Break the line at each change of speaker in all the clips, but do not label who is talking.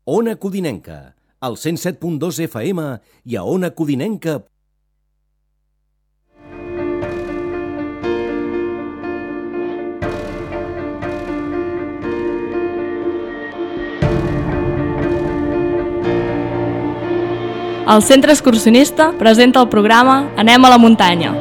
Ona Codinenca, al 107.2 FM i a onacodinenca.
El Centre Excursionista presenta el programa Anem a la muntanya.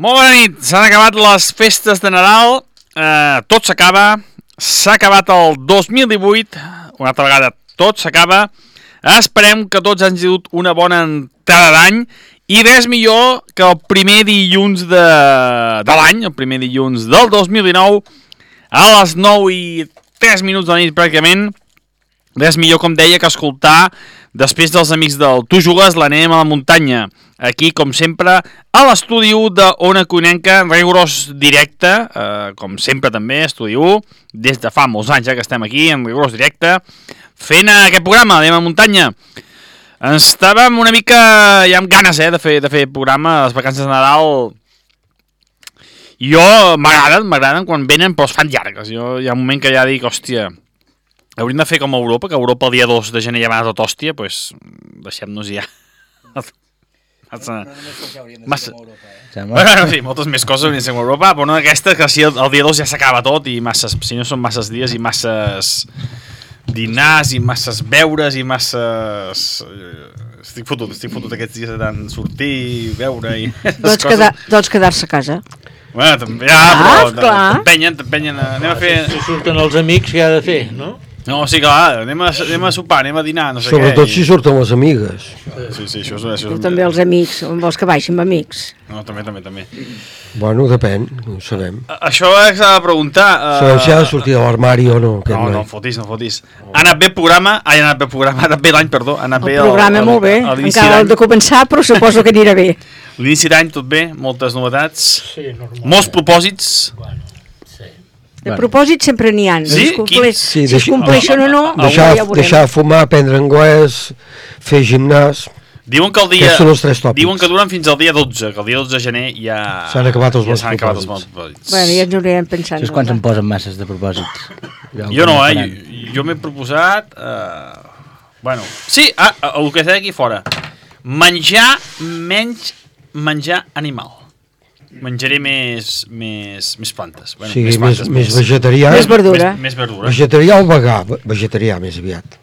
Molt bona nit, s'han acabat les festes de Nadal, tot s'acaba, s'ha acabat el 2018, una altra vegada tot s'acaba, esperem que tots han tingut una bona entrada d'any i res millor que el primer dilluns de l'any, el primer dilluns del 2019, a les 9:03 de la nit pràcticament, res millor, com deia, que escoltar després dels amics del Tu Jugues, l'Anem a la muntanya. Aquí, com sempre, a l'estudi 1 de Ona Codinenca, en rigorós directe, com sempre també, estudi 1, des de fa molts anys que estem aquí, en rigorós directe, fent aquest programa, Anem a la muntanya. Estàvem una mica ja amb ganes de fer programa a les vacances de Nadal. Jo m'agraden quan venen, però es fan llargues. Jo hi ha un moment que ja dic, hòstia, hauríem de fer com a Europa, que a Europa el dia 2 de gener ja va tot hòstia, doncs deixem-nos ja. Massa. Bueno, sí, moltes més coses haurien de ser com a Europa, però no aquesta, que si el dia 2 ja s'acaba tot i masses, si no són masses dies i masses dinars i masses beures i masses... Estic fotut aquests dies de tant sortir, beure i...
Doncs quedar-se a casa.
Bueno, també, però t'empenyen, anem a fer...
Si surten els amics, què ha de fer, no?
No, sí, clar, anem a sopar, anem a dinar, no sé què.
Sobretot si surten les amigues.
Sí, això és...
Tu també els amics, vols que baixin amb amics?
No, també.
Bueno, depèn, no ho sabem.
Això s'ha de preguntar...
Sabem si ha de sortir de l'armari o no.
No fotis. Ha anat bé el programa, ha anat bé l'any, perdó.
El programa molt bé, encara hem de començar, però suposo que anirà bé.
L'inici d'any tot bé, moltes novetats, molts propòsits...
De propòsits sempre n'hi ha.
Sí?
Si es compleixen o no,
deixar de fumar, aprendre anglès, fer gimnàs...
Diuen que diuen que duren fins al dia 12, que el dia 12 de gener ja...
S'han acabat els bons propòsits.
Bueno, ja ens haurem pensant.
Saps quants em posen masses de propòsits?
Jo no, jo m'he proposat... Bueno, sí, el que està aquí fora. Menjar animal. Menjaré més plantes. Bueno,
sí, més vegetarià.
Més verdura.
Més verdura.
Vegetarià o vegà? Vegetarià, més aviat.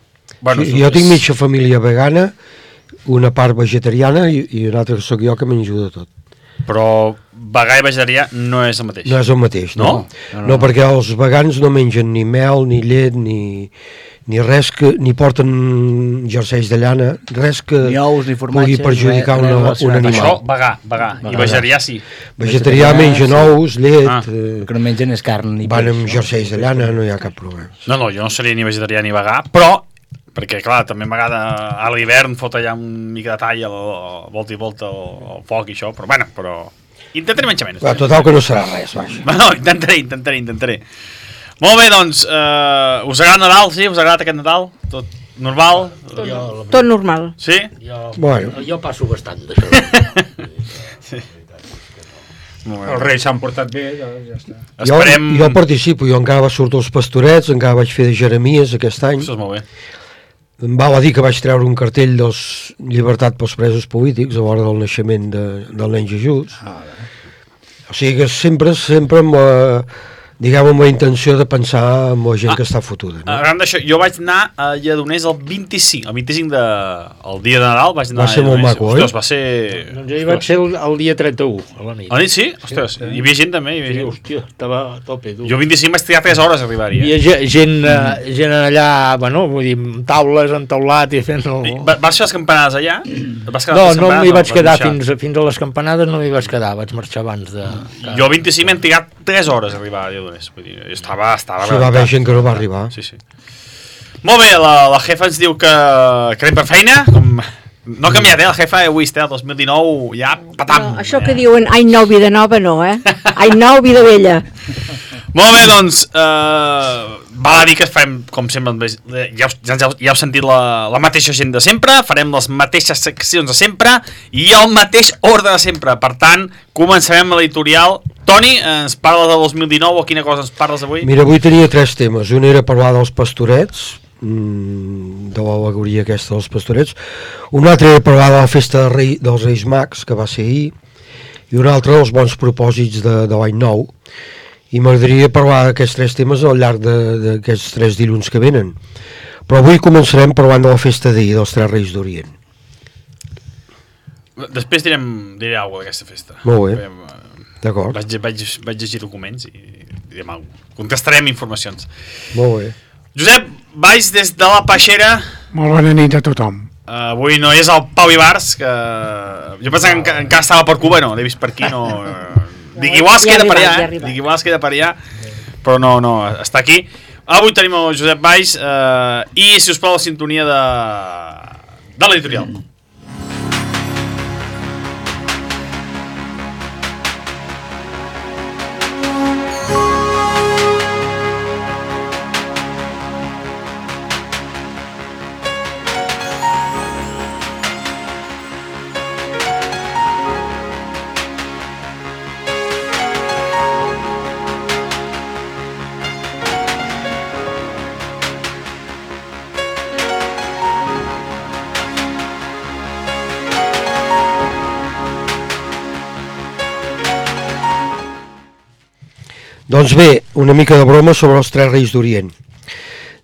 Bueno,
jo tinc mitja família vegana, una part vegetariana i una altra que sóc jo que menjo de tot.
Però vegà i vegetarià no és el mateix.
No és el mateix, no. No, perquè els vegans no mengen ni mel, ni llet, ni res que, ni porten jerseis de llana, res que
ni ous, ni
pugui perjudicar un animal.
Això, vegà. I vegetarià sí.
Vegetarià mengen ous, llet...
que no mengen és carn.
Van amb jerseis de llana, no hi ha cap problema.
No, jo no seria ni vegetarià ni vegà, però, perquè clar, també a vegada a l'hivern fot allà un mica de tall volta i volta al foc i això, però bueno, intentaré menjar menys.
Total que no serà res, vaja.
No, intentaré. Molt bé, doncs, us agrada Nadal, sí? Us agrada aquest Nadal? Tot normal?
Tot normal.
Sí?
Jo passo bastant d'això.
Sí.
Els reis s'han portat bé, doncs ja està.
Jo participo, jo encara vaig sortir als Pastorets, encara vaig fer de Jeremies aquest any.
Això és molt bé.
Em val a dir que vaig treure un cartell dels llibertat pels presos polítics a l'hora del naixement del nen Jesús. O sigui que sempre amb diguem, amb la intenció de pensar en la gent que està fotuda. No?
Arran d'això, jo vaig anar a Lledoners el 25 el dia de Nadal vaig anar
va ser molt maco,
Ostres, va ser...
Doncs jo hi vaig ser el dia 31, a la nit.
A la nit sí? Ostres, hi havia gent també?
Sí, hòstia, estava a tope. Tu.
Jo el 25 vaig trigar 3 hores a arribar-hi.
Hi havia gent allà, bueno, vull dir, amb taules, entaulat i fent...
Vas fer les campanades allà?
No m'hi vaig quedar fins a les campanades, no m'hi vaig quedar, vaig marxar abans de...
Jo el 25 m'he trigat 3 hores a arribar a Lledoners. Vull dir, estava
sí, va haver gent que no va arribar.
Sí. Molt bé, la jefa ens diu que anem per feina, no ha canviat, la jefa avui el 2019 ja patam.
No, això que diuen any nou, vida nova, no, any nou, vida vella.
Molt bé, doncs, val a dir que farem, com sempre, ja heu sentit la mateixa gent de sempre, farem les mateixes seccions de sempre i el mateix ordre de sempre. Per tant, començarem l'editorial. Toni, ens parla de 2019 o quina cosa ens parles avui?
Mira, avui tenia 3 temes. Un era parlar dels Pastorets, de l'al·legoria aquesta dels Pastorets. Un altre era parlar de la festa dels Reis Mags, que va ser ahir, i un altre dels bons propòsits de l'any nou. I m'agradaria parlar d'aquests 3 temes al llarg d'aquests 3 dilluns que venen. Però avui començarem parlant de la festa d'ahir, dels 3 Reis d'Orient.
Després diré alguna cosa d'aquesta festa.
Molt bé, d'acord.
Vaig llegir documents i direm alguna cosa. Contestarem informacions.
Molt bé.
Josep Valls, des de la Peixera.
Molt bona nit a tothom.
Avui no és el Pau Ibars, que jo pensava que encara estava per Cuba, no, l'he vist per aquí, no... Dic, igual es queda per allà, però no, està aquí. Avui tenim el Josep Valls i, si us plau, la sintonia de l'editorial.
Doncs bé, una mica de broma sobre els 3 Reis d'Orient.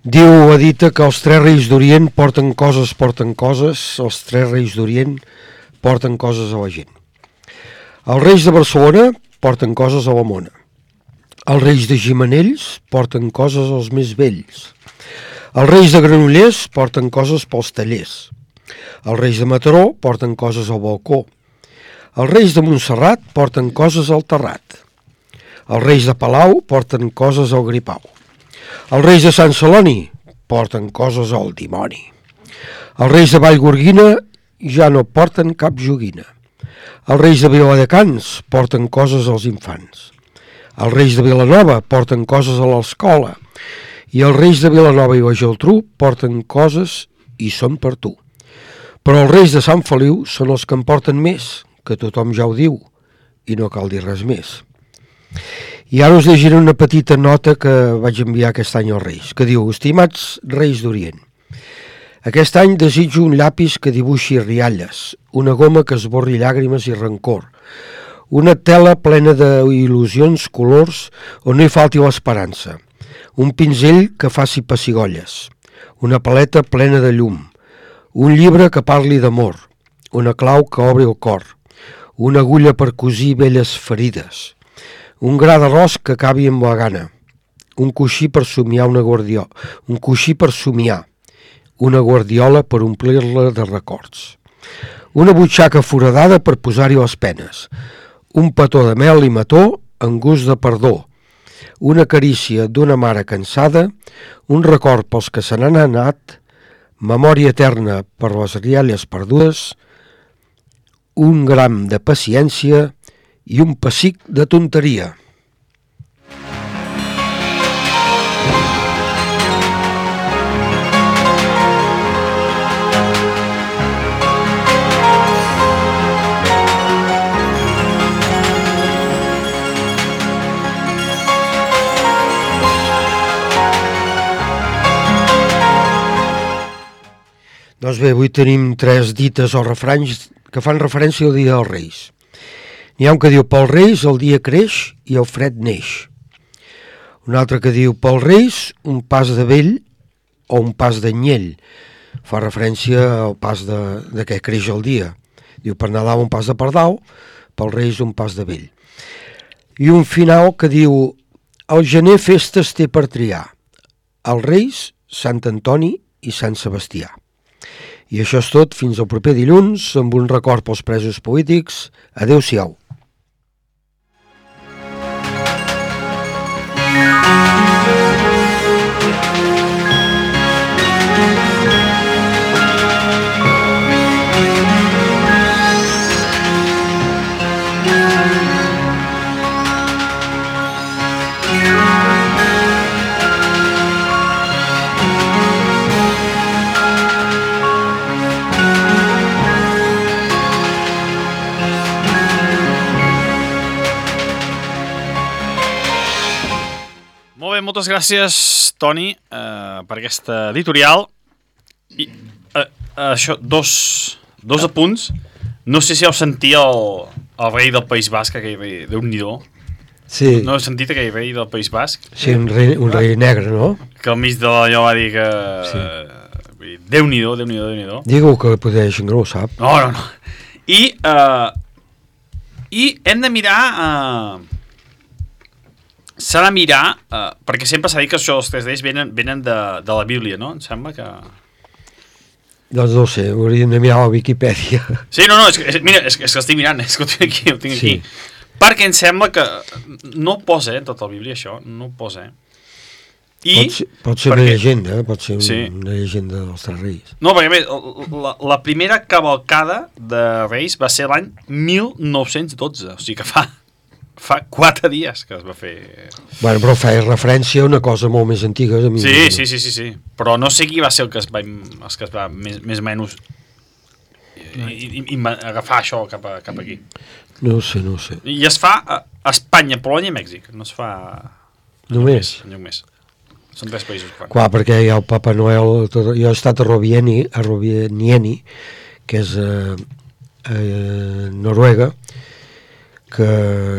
Diu Edita que els 3 Reis d'Orient porten coses, els 3 Reis d'Orient porten coses a la gent. Els Reis de Barcelona porten coses a la mona. Els Reis de Gimenells porten coses als més vells. Els Reis de Granollers porten coses pels tallers. Els Reis de Mataró porten coses al balcó. Els Reis de Montserrat porten coses al terrat. Els Reis de Palau porten coses al gripau. Els Reis de Sant Celoni porten coses al dimoni. Els Reis de Vallgorguina ja no porten cap joguina. Els Reis de Viladecans porten coses als infants. Els Reis de Vilanova porten coses a l'escola. I els Reis de Vilanova i la Geltrú porten coses i són per tu. Però els Reis de Sant Feliu són els que en porten més, que tothom ja ho diu, i no cal dir res més. I ara us llegiré una petita nota que vaig enviar aquest any als Reis, que diu: estimats Reis d'Orient, aquest any desitjo un llapis que dibuixi rialles, una goma que esborri llàgrimes i rancor, una tela plena d'il·lusions, colors, on no hi falti l'esperança, un pinzell que faci pessigolles, una paleta plena de llum, un llibre que parli d'amor, una clau que obri el cor, una agulla per cosir velles ferides, un gra d'arròs que acabi amb la gana, un coixí per somiar una guardiola, un coixí per somiar, una guardiola per omplir-la de records, una butxaca foradada per posar-hi les penes, un petó de mel i mató en gust de perdó, una carícia d'una mare cansada, un record pels que se n'han anat, memòria eterna per les rialles perdudes, un gram de paciència i un pessic de tonteria. Doncs bé, avui tenim 3 dites o refranys que fan referència al Dia dels Reis. N'hi ha un que diu pels Reis el dia creix i el fred neix. Un altre que diu pels Reis un pas de vell o un pas d'anyell. Fa referència al pas de què creix el dia. Diu per Nadal un pas de pardal, pels Reis un pas de vell. I un final que diu el gener festes té per triar. Els Reis, Sant Antoni i Sant Sebastià. I això és tot, fins al proper dilluns, amb un record pels presos polítics. Adéu-siau.
Moltes gràcies, Toni, per aquesta editorial. I això, dos apunts. No sé si heu sentit el rei del País Basc, aquell rei, Déu-n'hi-do.
Sí.
No heu sentit aquell rei del País Basc?
Sí, un rei negre, no?
Que al mig de allò va dir que... Sí. Déu-n'hi-do, Déu-n'hi-do, Déu-n'hi-do.
Digue-ho que potser gent no ho sap.
No. I hem de mirar... S'ha de mirar, perquè sempre s'ha dit que això dels 3 Reis venen de la Bíblia, no? Em sembla que...
Doncs no ho sé, hauríem de mirar a la Viquipèdia.
Sí, no, mira, és que estic mirant, és que ho tinc aquí. Perquè em sembla que no ho posa, en tota la Bíblia, això, no ho posa, Pot ser una llegenda, pot ser una llegenda dels 3 Reis. No, perquè a més, la primera cavalcada de Reis va ser l'any 1912, o sigui que fa 4 dies que es va fer...
Bueno, però feia referència a una cosa molt més antiga.
Sí. Però no sé qui va ser el que es va més o menys agafar això cap aquí.
No ho sé.
I es fa a Espanya, Polònia i Mèxic. No es fa...
Només?
Enlloc més. Són 3 països que fan.
Clar, perquè hi ha el Papa Noel... Jo he estat a Rovaniemi, que és a Noruega, que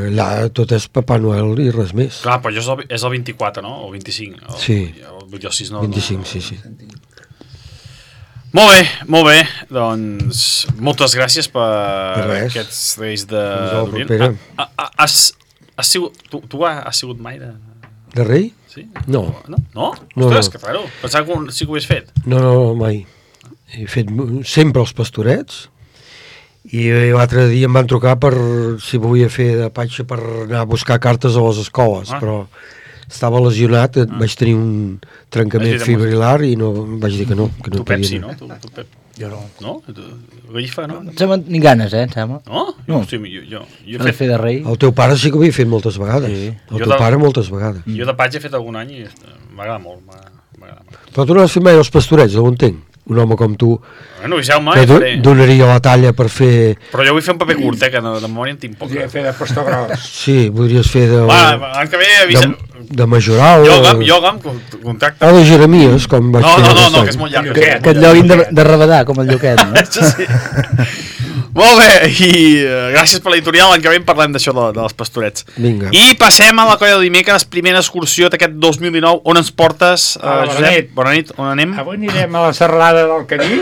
allà tot és Papa Noel i res més.
Clar, però això és el 24, no? O el 25.
Sí,
el 6, no,
25, sí.
Molt bé. Doncs moltes gràcies per aquests Reis d'Orient. Tu has sigut mai
de rei?
Sí?
No.
No? Ostres, que raro. Pensava que sí que ho havies fet.
No, mai. He fet sempre els pastorets. I l'altre dia em van trucar per si volia fer de patxa per anar a buscar cartes a les escoles, però estava lesionat, vaig tenir un trencament fibrilar i no vaig dir que no. Que no
tu Pepsi, no? Tu Pep.
Jo no.
No? Gallifa, no?
Em sembla ni ganes, em sembla.
No?
No.
Jo
he fet de rei.
El teu pare sí que ho havia fet moltes vegades. Sí. El teu pare moltes vegades.
Jo de patxa he fet algun any i m'agrada molt.
Però tu no has fet mai els pastorets, no ho entenc. Un home com tu
no
que donaria la talla per fer...
Però jo vull fer un paper curt, que de memòria en tinc poc.
Podria fer de pastor gros.
Sí, podries fer de...
L'any que ve...
De majoral...
Yoga, contacte.
O de Jeremies, com vaig fer.
No, que és molt llarg.
Que et lloguin de rabadar, com el lloquet, no?
Això sí. Molt bé, i gràcies per l'editorial. L'any que ve parlem d'això dels pastorets.
Vinga.
I passem a la colla de dimecres, primera excursió d'aquest 2019. On ens portes, Josep? Bona nit, on anem?
Avui anirem a la serralada del Cadí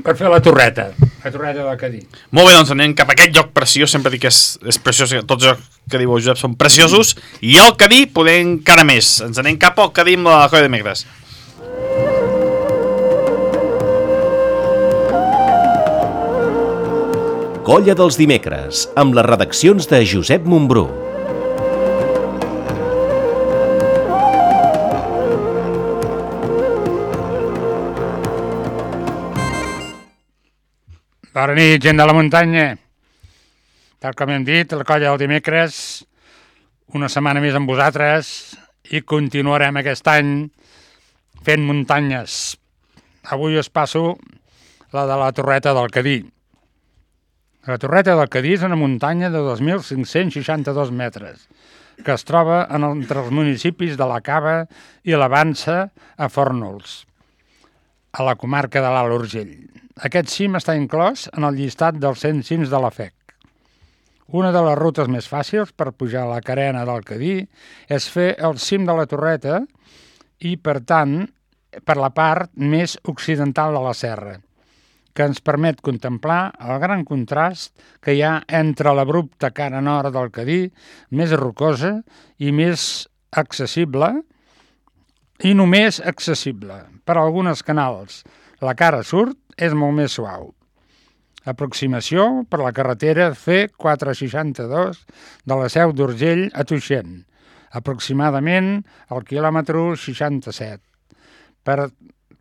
per fer la torreta. A Torreta del Cadí.
Molt bé, doncs anem cap a aquest lloc preciós. Sempre dic que és preciós, tots els que diu el Josep són preciosos. I el Cadí podem encara més. Ens anem cap al Cadí amb la Colla de Dimecres.
Colla dels Dimecres, amb les redaccions de Josep Montbrú.
Bona nit, gent de la muntanya. Tal com hem dit, la Colla del Dimecres, una setmana més amb vosaltres i continuarem aquest any fent muntanyes. Avui us passo la de la Torreta del Cadí. La Torreta del Cadí és una muntanya de 2.562 metres que es troba entre els municipis de la Cava i la Vansa a Fórnols, a la comarca de l'Alt Urgell. Aquest cim està inclòs en el llistat dels 100 cims de la FEC. Una de les rutes més fàcils per pujar a la carena del Cadí és fer el cim de la Torreta i, per tant, per la part més occidental de la serra, que ens permet contemplar el gran contrast que hi ha entre l'abrupta cara nord del Cadí, més rocosa i més accessible, i només accessible per algunes canals. La cara sud és molt més suau. Aproximació per la carretera C462 de la Seu d'Urgell a Tuixén, aproximadament al quilòmetre 67, per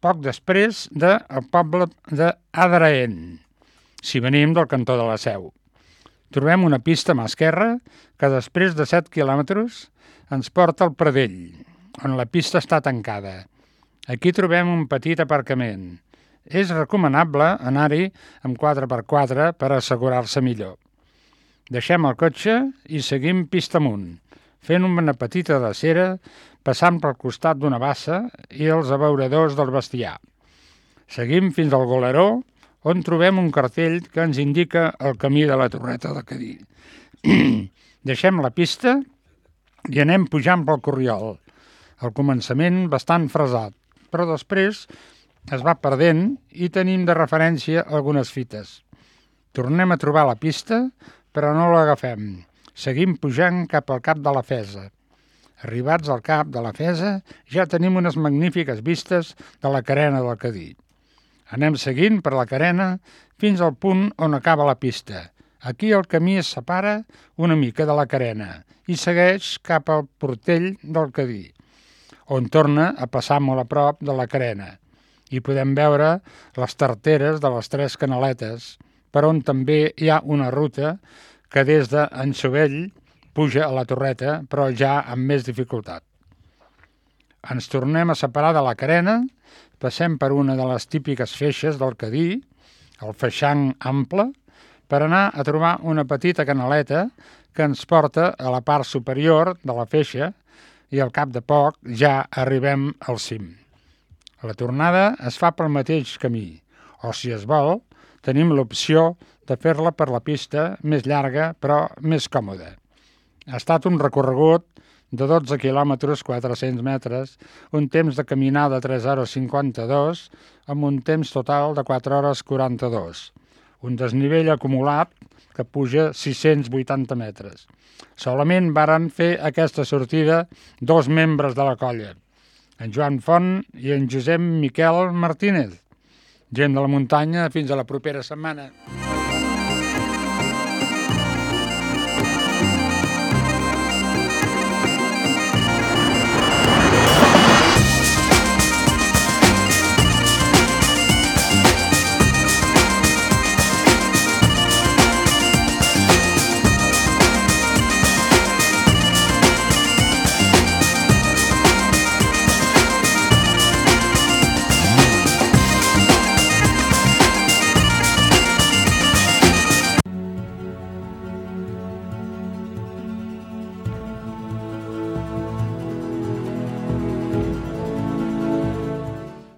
poc després del poble d'Adraén, si venim del cantó de la Seu. Trobem una pista a mà esquerra que després de 7 quilòmetres ens porta al Pradell, on la pista està tancada. Aquí trobem un petit aparcament. És recomanable anar-hi amb 4x4 per assegurar-se millor. Deixem el cotxe i seguim pista amunt, fent una petita drecera, passant pel costat d'una bassa i els abeuradors del bestiar. Seguim fins al Goleró, on trobem un cartell que ens indica el camí de la Torreta del Cadí. Deixem la pista i anem pujant pel Corriol. Al començament bastant fresat, però després es va perdent i tenim de referència algunes fites. Tornem a trobar la pista, però no l'agafem. Seguim pujant cap al Cap de la Fesa. Arribats al Cap de la Fesa, ja tenim unes magnífiques vistes de la carena del Cadí. Anem seguint per la carena fins al punt on acaba la pista. Aquí el camí es separa una mica de la carena i segueix cap al Portell del Cadí, on torna a passar molt a prop de la carena. I podem veure les tarteres de les 3 canaletes, per on també hi ha una ruta que des d'Ansovell puja a la Torreta, però ja amb més dificultat. Ens tornem a separar de la carena, passem per una de les típiques feixes del Cadí, el feixang ample, per anar a trobar una petita canaleta que ens porta a la part superior de la feixa i al cap de poc ja arribem al cim. La tornada es fa pel mateix camí, o si es vol, tenim l'opció de fer-la per la pista més llarga però més còmoda. Ha estat un recorregut de 12 quilòmetres 400 metres, un temps de caminada de 3 hores 52, amb un temps total de 4 hores 42. Un desnivell acumulat que puja 680 metres. Solament varen fer aquesta sortida 2 membres de la colla, en Joan Font i en Josep Miquel Martínez. Gent de la muntanya, fins a la propera setmana.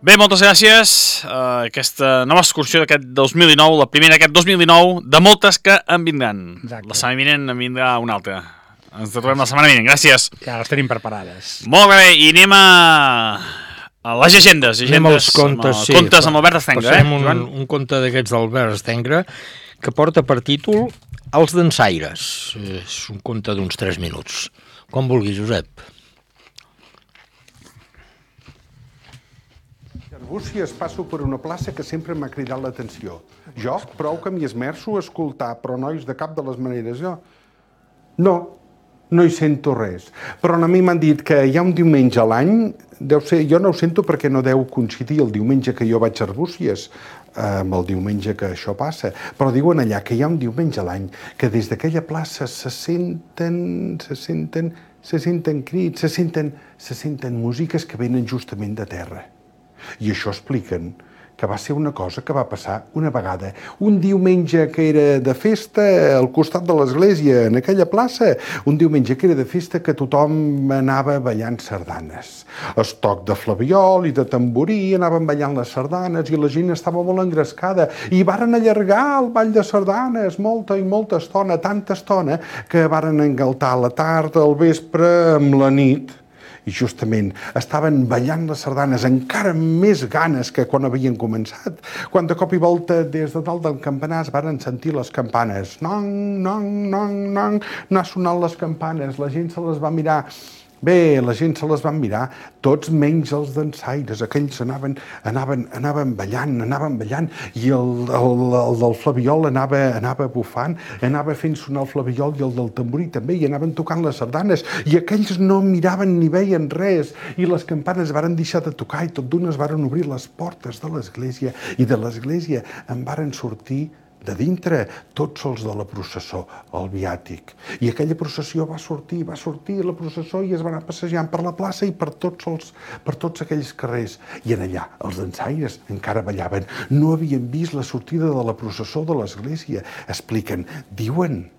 Bé, moltes gràcies. Aquesta nova excursió d'aquest 2019, la primera d'aquest 2019, de moltes que en vindran. Exacte. La setmana vinent en vindrà una altra. Ens trobem la setmana vinent. Gràcies.
Ja les tenim preparades.
Molt bé, i anem Les llegendes.
Anem als contes, sí.
Contes amb Albert Estengra,
Passem un conte d'aquests d'Albert Estengra que porta per títol Els dansaires. És un conte d'uns 3 minuts. Com vulgui, Josep.
Arbúcies passo per una plaça que sempre m'ha cridat l'atenció. Jo, prou que m'hi esmerço a escoltar, però nois, de cap de les maneres, jo... No hi sento res. Però a mi m'han dit que hi ha un diumenge a l'any, deu ser, jo no ho sento perquè no deu coincidir el diumenge que jo vaig a Arbúcies amb el diumenge que això passa, però diuen allà que hi ha un diumenge a l'any que des d'aquella plaça se senten crits, se senten músiques que venen justament de terra. I això expliquen que va ser una cosa que va passar una vegada, un diumenge que era de festa al costat de l'església, en aquella plaça, un diumenge que era de festa que tothom anava ballant sardanes. Estoc de flabiol i de tamborí, anaven ballant les sardanes i la gent estava molt engrescada i varen allargar el ball de sardanes molta i molta estona, tanta estona que varen engaltar la tarda, el vespre, amb la nit. I justament estaven ballant les sardanes encara amb més ganes que quan havien començat, quan de cop i volta des de dalt del campanar es varen sentir les campanes. Nong, nong, nong, nong, anar sonant les campanes, la gent se les va mirar. Bé, la gent se les va mirar, tots menys els dansaires, aquells anaven ballant, i el del flabiol anava bufant, anava fent sonar el flabiol i el del tamborí també, i anaven tocant les sardanes, i aquells no miraven ni veien res, i les campanes varen deixar de tocar, i tot d'una es varen obrir les portes de l'església, i de l'església en varen sortir de dintre tots els de la processó, el viàtic. I aquella processió va sortir la processó i es va anar passejant per la plaça i per tots aquells carrers. I en allà els dansaires encara ballaven. No havien vist la sortida de la processó de l'església. Expliquen, diuen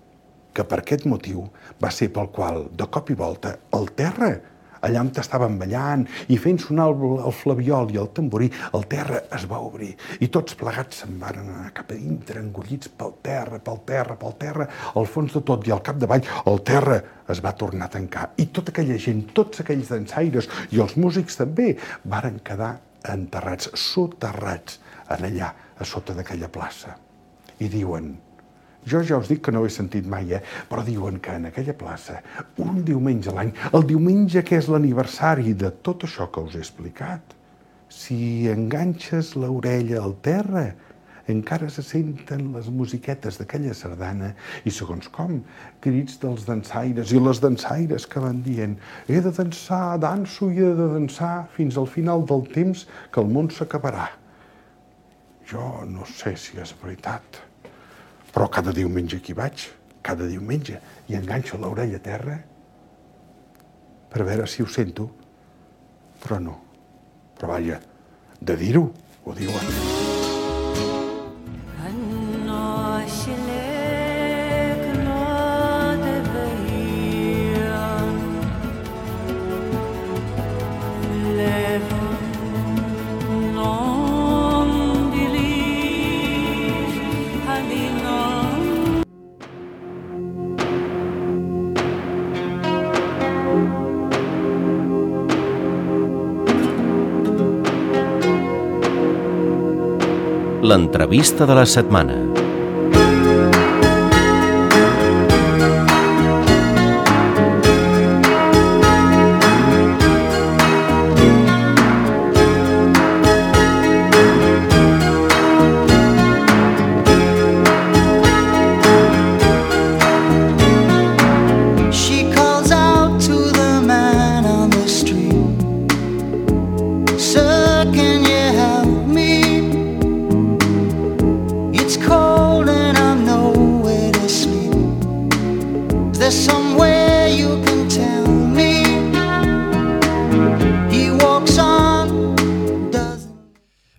que per aquest motiu va ser pel qual, de cop i volta, el terra, allà on estaven ballant i fent sonar el flabiol i el tamborí, el terra es va obrir i tots plegats se'n van anar cap a dintre, engollits pel terra, al fons de tot i al capdavall, el terra es va tornar a tancar. I tota aquella gent, tots aquells dansaires i els músics també, varen quedar enterrats, soterrats, en allà, a sota d'aquella plaça. I diuen... Jo ja us dic que no ho he sentit mai, però diuen que en aquella plaça, un diumenge a l'any, el diumenge que és l'aniversari de tot això que us he explicat, si enganxes l'orella al terra, encara se senten les musiquetes d'aquella sardana i, segons com, crits dels dansaires i les dansaires que van dient he de dansar, danso i he de dansar fins al final del temps que el món s'acabarà. Jo no sé si és veritat. Però cada diumenge aquí vaig, cada diumenge, i enganxo l'orella a terra per veure si ho sento, però no. Però vaja, de dir-ho, ho diuen.
L'entrevista de la setmana.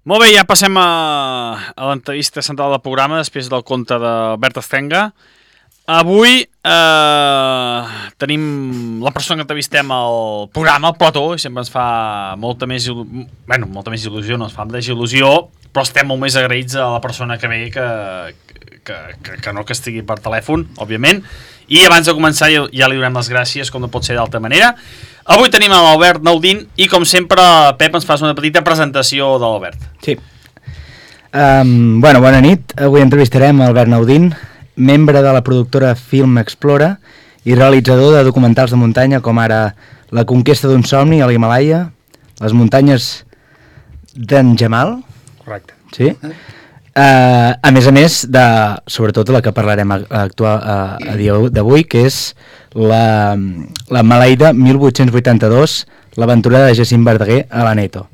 Molt bé, ja passem a l'entrevista central del programa després del conte d'Albert Estengra. Avui tenim la persona que entrevistem al programa, el Plató, i sempre ens fa molta més il·lusió, no ens fa desil·lusió però estem molt més agraïts a la persona que ve que no que estigui per telèfon, òbviament. I abans de començar ja li donem les gràcies, com no pot ser d'altra manera. Avui tenim l'Albert Naudín i, com sempre, Pep, ens fas una petita presentació de l'Albert.
Sí. Bona nit. Avui entrevistarem Albert Naudín, membre de la productora Film Explora i realitzador de documentals de muntanya com ara La conquesta d'un somni a l'Himàlaia, Les muntanyes d'en Jamal.
Correcte.
Sí. A més, sobretot la que parlarem a dia d'avui, que és la Maleïda 1882, l'aventura de Jacint Verdaguer a l'Aneto.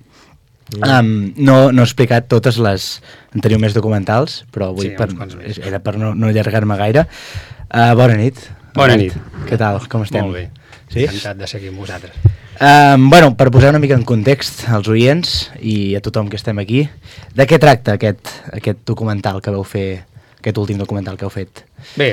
No he explicat totes les... En teniu més documentals, però avui era per no allargar-me gaire. Bona nit.
Bona nit.
Què tal? Com estem?
Molt bé.
Sí?
Encantat de ser aquí amb vosaltres.
Per posar una mica en context als oients i a tothom que estem aquí, de què tracta aquest documental que vau fer, aquest últim documental que heu fet?
Bé,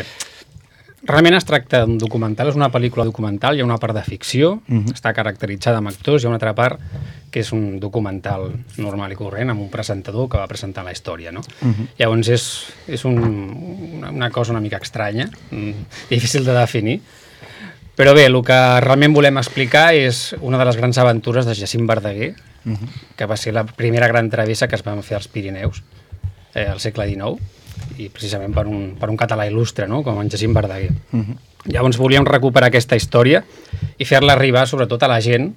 realment es tracta d'un documental, és una pel·lícula documental, hi ha una part de ficció, està caracteritzada amb actors, hi ha una altra part que és un documental normal i corrent amb un presentador que va presentar la història, no? Llavors és una cosa una mica estranya, difícil de definir. Però bé, el que realment volem explicar és una de les grans aventures de Jacint Verdaguer, que va ser la primera gran travessa que es va fer als Pirineus al segle XIX, i precisament per un català il·lustre, no? Com en Jacint Verdaguer. Llavors volíem recuperar aquesta història i fer-la arribar sobretot a la gent,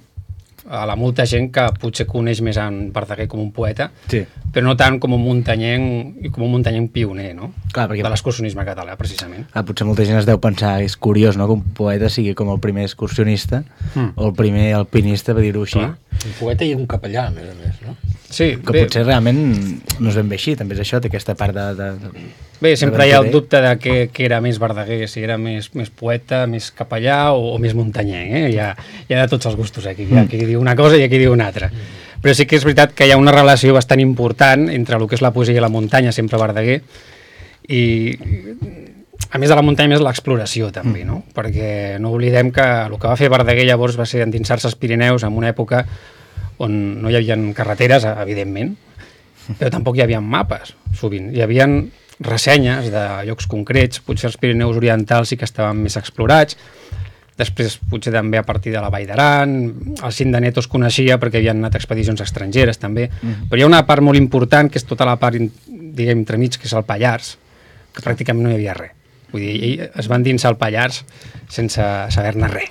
a la molta gent que potser coneix més en Verdaguer com un poeta, sí, però no tant com un muntanyenc i com un muntanyenc pioner, no? Clar, perquè... de l'excursionisme català, precisament.
Potser molta gent es deu pensar, és curiós, no?, que un poeta sigui com el primer excursionista o el primer alpinista, per dir-ho així.
Un poeta i un capellà, a més, no?
Sí,
que bé, potser realment no és ben bé així, també és això, té aquesta part de
bé, sempre hi ha el dubte de què era més Verdaguer, si era més poeta, més capellà o més muntanyenc, hi ha de tots els gustos aquí, hi ha qui diu una cosa i qui diu una altra. Però sí que és veritat que hi ha una relació bastant important entre el que és la poesia i la muntanya, sempre Verdaguer, i a més de la muntanya, més l'exploració també, no? Perquè no oblidem que el que va fer Verdaguer llavors va ser endinsar-se als Pirineus en una època on no hi havia carreteres, evidentment, però tampoc hi havia mapes, sovint. Hi havia ressenyes de llocs concrets, potser els Pirineus orientals sí que estaven més explorats, després potser també a partir de la Vall d'Aran, el cim d'Aneto es coneixia perquè havien anat expedicions estrangeres també, però hi ha una part molt important que és tota la part, diguem, entremig, que és el Pallars, que pràcticament no hi havia res. Vull dir, ell es va endinsar al Pallars sense saber-ne res.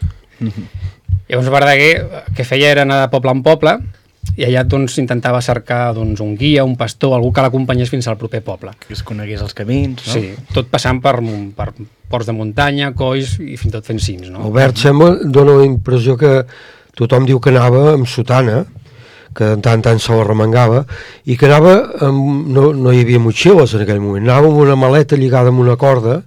Llavors Verdaguer, que feia era anar de poble en poble, i allà doncs intentava cercar un guia, un pastor, algú que l'acompanyés fins al proper poble.
Que es conegués els camins, no?
Sí, tot passant per ports de muntanya, colls i fins i tot fent cims, no?
Albert, dona la impressió que tothom diu que anava amb sotana, que de tant en tant se la remengava, i que anava no hi havia motxilles en aquell moment, anava amb una maleta lligada amb una corda,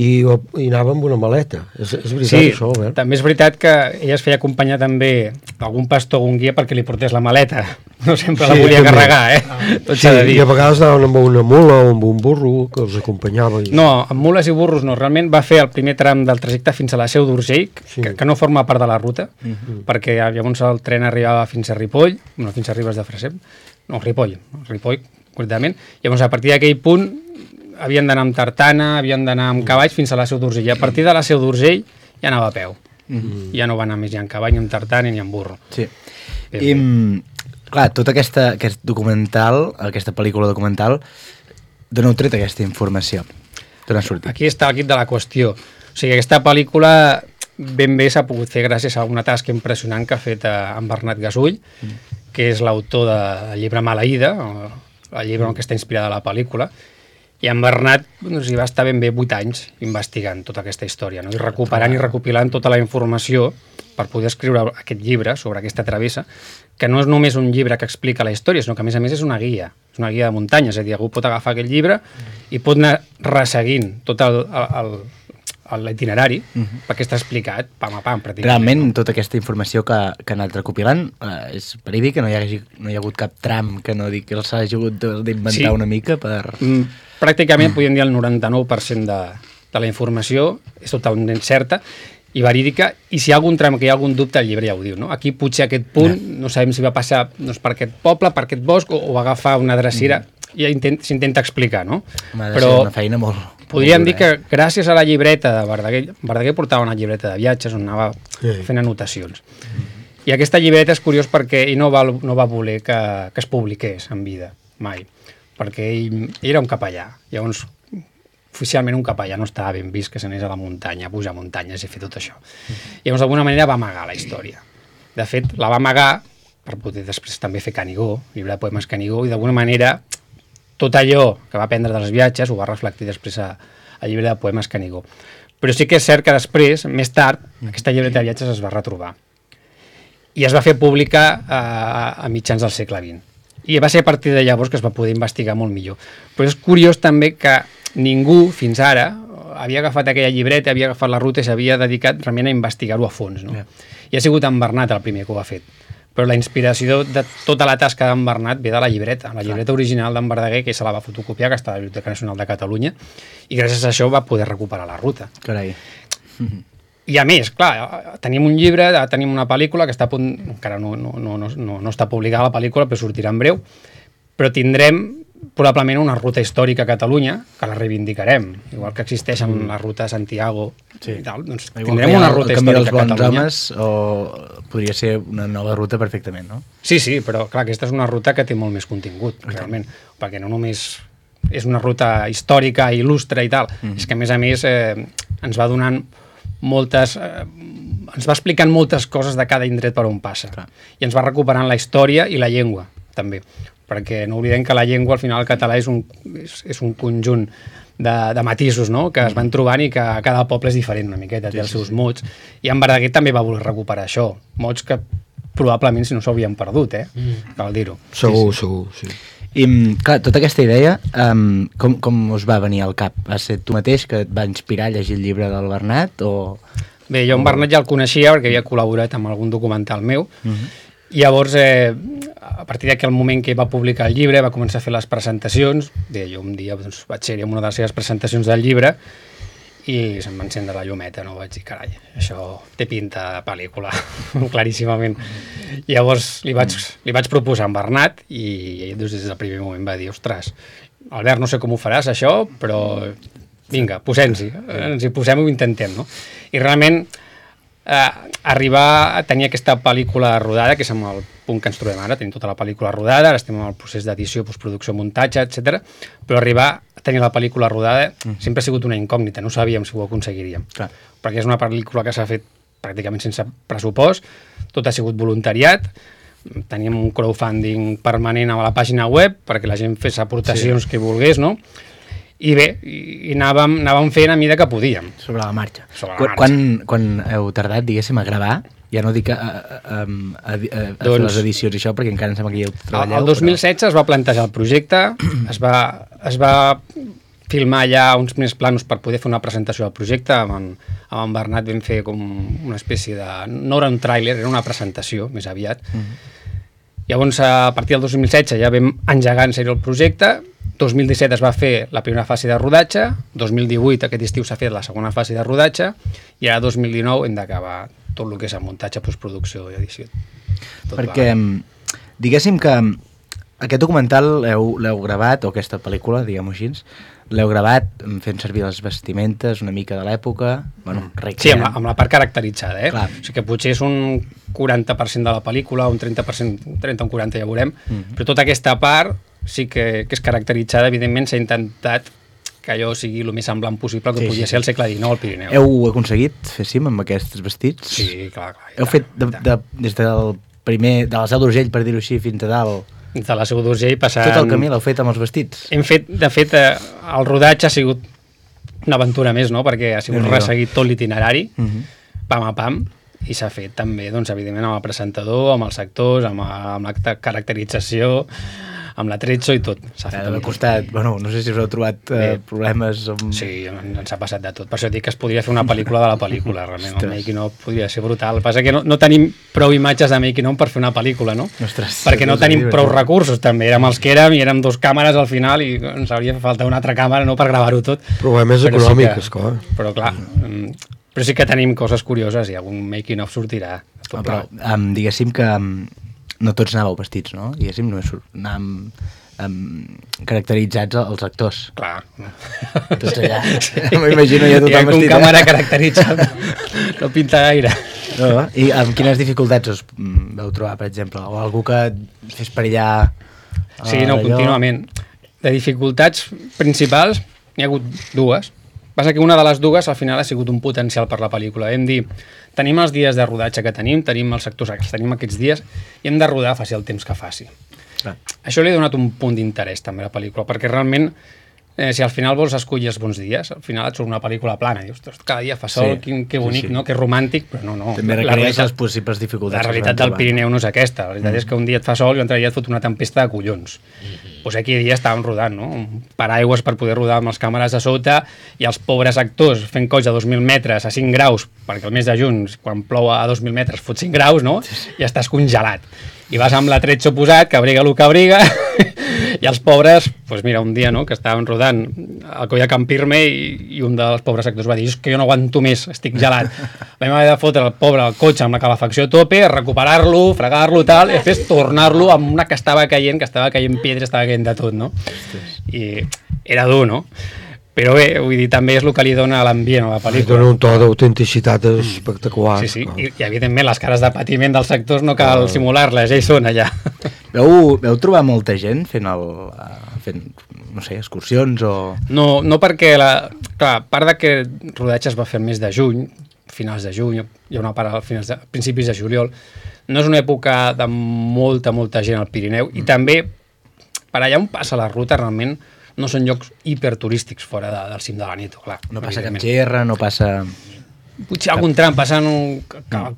i anava amb una maleta. És veritat, sí, això, Albert?
També és veritat que ella es feia acompanyar també d'algun pastor o un guia perquè li portés la maleta. No sempre la volia carregar,
Tot s'ha de dir. I a vegades anaven amb una mula o amb un burro que els acompanyava.
No, amb mules i burros no. Realment va fer el primer tram del trajecte fins a la Seu d'Urgell, que no forma part de la ruta, perquè llavors el tren arribava fins a Ripoll, no, fins a Ribes de Freser, Ripoll, concretament. Llavors, a partir d'aquell punt, havien d'anar amb tartana, havien d'anar amb cavalls fins a la Seu d'Urgell. I a partir de la Seu d'Urgell ja anava a peu. Ja no va anar més ni amb cavall, ni amb tartana, ni amb burro.
Sí. I, clar, tot aquest documental, aquesta pel·lícula documental, d'on heu tret aquesta informació? D'on ha sortit?
Aquí està el quid de la qüestió. O sigui, aquesta pel·lícula ben bé s'ha pogut fer gràcies a una tasca impressionant que ha fet en Bernat Gasull, que és l'autor del llibre Maleïda, el llibre en què està inspirada la pel·lícula. I en Bernat hi va estar ben bé 8 anys investigant tota aquesta història, no? I recuperant i recopilant tota la informació per poder escriure aquest llibre sobre aquesta travessa, que no és només un llibre que explica la història, sinó que a més és una guia de muntanya, és a dir, algú pot agafar aquest llibre i pot anar resseguint tot l'itinerari, perquè està explicat pam a pam, pràcticament.
Realment, tota aquesta informació que ha anat recopilant és verídic, que no hi ha hagut cap tram que no digui que els hagi hagut d'inventar una mica per...
Pràcticament podríem dir el 99% de la informació és totalment certa, i verídica, i si hi ha algun tram que hi ha algun dubte, el llibre ja ho diu, no? Aquí potser aquest punt, no sabem si va passar per aquest poble, per aquest bosc, o va agafar una drecera, i s'intenta explicar, no?
Però una feina molt...
Podríem dir que gràcies a la llibreta de Verdaguer portava una llibreta de viatges on anava fent anotacions. I aquesta llibreta és curiós perquè ell no va voler que es publiqués en vida, mai, perquè ell era un capellà. Llavors, oficialment un capellà no estava ben vist que s'anés a la muntanya, a pujar muntanyes i fer tot això. Llavors, d'alguna manera va amagar la història. De fet, la va amagar per poder després també fer Canigó, llibre de poemes Canigó, i d'alguna manera tot allò que va aprendre dels viatges ho va reflectir després al llibre de poemes Canigó. Però sí que és cert que després, més tard, aquesta llibreta de viatges es va retrobar i es va fer pública a mitjans del segle XX. I va ser a partir de llavors que es va poder investigar molt millor. Però és curiós també que ningú, fins ara, havia agafat aquella llibreta, havia agafat la ruta i s'havia dedicat realment a investigar-ho a fons, no? I ha sigut en Bernat el primer que ho ha fet. Però la inspiració de tota la tasca d'en Bernat ve de la llibreta original d'en Verdaguer, que se la va fotocopiar, que està a la Biblioteca Nacional de Catalunya, i gràcies a això va poder recuperar la ruta.
Carai.
I a més, clar, tenim un llibre, tenim una pel·lícula que està a punt, encara no està publicada la pel·lícula, però sortirà en breu, però tindrem probablement una ruta històrica a Catalunya, que la reivindicarem, igual que existeixen la ruta de Santiago i tal, doncs tindrem una ruta històrica a Catalunya.
Homes, o podria ser una nova ruta perfectament, no?
Sí, però clar, aquesta és una ruta que té molt més contingut, realment, perquè no només és una ruta històrica, il·lustre i tal, és que a més ens va donant ens va explicant moltes coses de cada indret per on passa, i ens va recuperant la història i la llengua, també, perquè no oblidem que la llengua, al final, el català és un conjunt de matisos, no?, que es van trobant i que cada poble és diferent una miqueta, té els seus mots, i en Verdaguer també va voler recuperar això, mots que probablement si no s'haurien perdut, cal dir-ho.
Segur, sí.
I, clar, tota aquesta idea, com us va venir al cap? Va ser tu mateix que et va inspirar a llegir el llibre del Bernat, o...?
Bé, jo en Bernat ja el coneixia perquè havia col·laborat amb algun documental meu, i llavors, a partir d'aquell moment que va publicar el llibre, va començar a fer les presentacions. Bé, jo un dia vaig ser-hi en una de les seves presentacions del llibre i se'm va encendre la llumeta, no? Vaig dir, carai, això té pinta de pel·lícula, claríssimament. I llavors li vaig proposar a en Bernat i ell des del primer moment va dir, ostres, Albert, no sé com ho faràs això, però vinga, ens hi posem i ho intentem, no? I realment arribar a tenir aquesta pel·lícula rodada, que és amb el punt que ens trobem ara, tenim tota la pel·lícula rodada, ara estem en el procés d'edició, postproducció, muntatge, etc. Però arribar a tenir la pel·lícula rodada sempre ha sigut una incògnita, no sabíem si ho aconseguiríem. Perquè és una pel·lícula que s'ha fet pràcticament sense pressupost, tot ha sigut voluntariat, teníem un crowdfunding permanent a la pàgina web perquè la gent fes aportacions que volgués, no? I bé, anàvem fent a mida que podíem.
Sobre la marxa. Quan heu tardat, diguéssim, a gravar, ja no dic a fer les edicions i això, perquè encara em sembla que hi heu treballat.
El 2016 es va plantejar el projecte, es va filmar ja uns primers planos per poder fer una presentació del projecte. Amb en Bernat vam fer com una espècie de... No era un tràiler, era una presentació, més aviat. Llavors, a partir del 2016 ja vam engegar en sèrio el projecte. 2017 es va fer la primera fase de rodatge, 2018 aquest estiu s'ha fet la segona fase de rodatge i ara 2019 hem d'acabar tot el que és el muntatge, postproducció i edició.
Perquè diguéssim que aquest documental l'heu gravat, o aquesta pel·lícula, diguem-ho així, l'heu gravat fent servir les vestimentes una mica de l'època,
sí, amb la part caracteritzada, o sigui que potser és un 40% de la pel·lícula, un 30%, un 40% ja veurem, però tota aquesta part sí que és caracteritzada, evidentment s'ha intentat que allò sigui el més semblant possible que podia ser al segle XIX al Pirineu.
Heu aconseguit fer cim amb aquests vestits?
Sí, clar.
Heu fet des del primer, de la Seu d'Urgell, per dir-ho així, fins a dalt?
De la Seu d'Urgell passant...
Tot el camí l'heu fet amb els vestits?
Hem fet, de fet, el rodatge ha sigut una aventura més, no?, perquè ha sigut resseguit tot l'itinerari, pam a pam, i s'ha fet també, doncs, evidentment, amb el presentador, amb els actors, amb la caracterització, amb l'attrezzo i tot.
S'ha costat, bueno, no sé si us heu trobat problemes amb...
Sí, ens ha passat de tot. Per això dic que es podria fer una pel·lícula de la pel·lícula, realment. El making-of podria ser brutal. El que passa que no tenim prou imatges de making-of per fer una pel·lícula, no?
Ostres,
perquè no tenim prou recursos, també. Érem els que érem i érem 2 càmeres al final i ens hauria faltat una altra càmera, no?, per gravar-ho tot.
Problemes econòmics, clar.
Però clar, Però sí que tenim coses curioses i algun making of sortirà.
Però diguéssim que no tots anàveu vestits, no? Diguéssim, anàvem caracteritzats els actors.
Clar.
Tots allà. M'imagino ja tothom vestit.
Hi ha un càmera caracteritzat. No pinta gaire.
No? I amb quines dificultats us vau trobar, per exemple? O algú que fes perillar...
Sí, no, contínuament. De dificultats principals n'hi ha hagut dues. Passa que una de les dues al final ha sigut un potencial per la pel·lícula. Hem dit, tenim els dies de rodatge que tenim els actors que tenim aquests dies i hem de rodar faci el temps que faci. Això li ha donat un punt d'interès també a la pel·lícula, perquè realment si al final vols escollir els bons dies, al final et surt una pel·lícula plana, dius, cada dia fa sol, que bonic, no? Que romàntic, però no.
També requereix les possibles dificultats.
La realitat del Pirineu no és aquesta, la veritat és que un dia et fa sol i un altre dia et fot una tempesta de collons. Doncs aquell dia estàvem rodant, no? Un paraigües per poder rodar amb les càmeres a sota i els pobres actors fent coix a 2.000 metres a 5 graus, perquè el mes de juny, quan plou a 2.000 metres, fot 5 graus, no? I estàs congelat. I vas amb l'atretx oposat, que abriga el que abriga, i els pobres, doncs mira, un dia no, que estàvem rodant al coll de Can Pirme i un dels pobres actors va dir, és que jo no aguanto més, estic gelat. Vam haver de fotre el pobre al cotxe amb la calefacció a tope, recuperar-lo, fregar-lo tal, i després tornar-lo amb una que estava caient pedra, estava caient de tot, no? I era dur, no? Però bé, vull dir, també és el que li dona l'ambient a la pel·lícula.
Dona un to d'autenticitat espectacular.
Sí, i evidentment les cares de patiment dels actors no cal simular-les, ja hi són allà.
Veu trobar molta gent fent no sé, excursions o...
No perquè, clar, a part de que el rodatge es va fer el mes de juny, finals de juny, hi ha una part a principis de juliol, no és una època de molta gent al Pirineu, i també, per allà on passa la ruta, realment, no són llocs hiperturístics fora del cim de l'Aneto, clar.
No passa cap gerra, no passa...
Potser algun tram passant un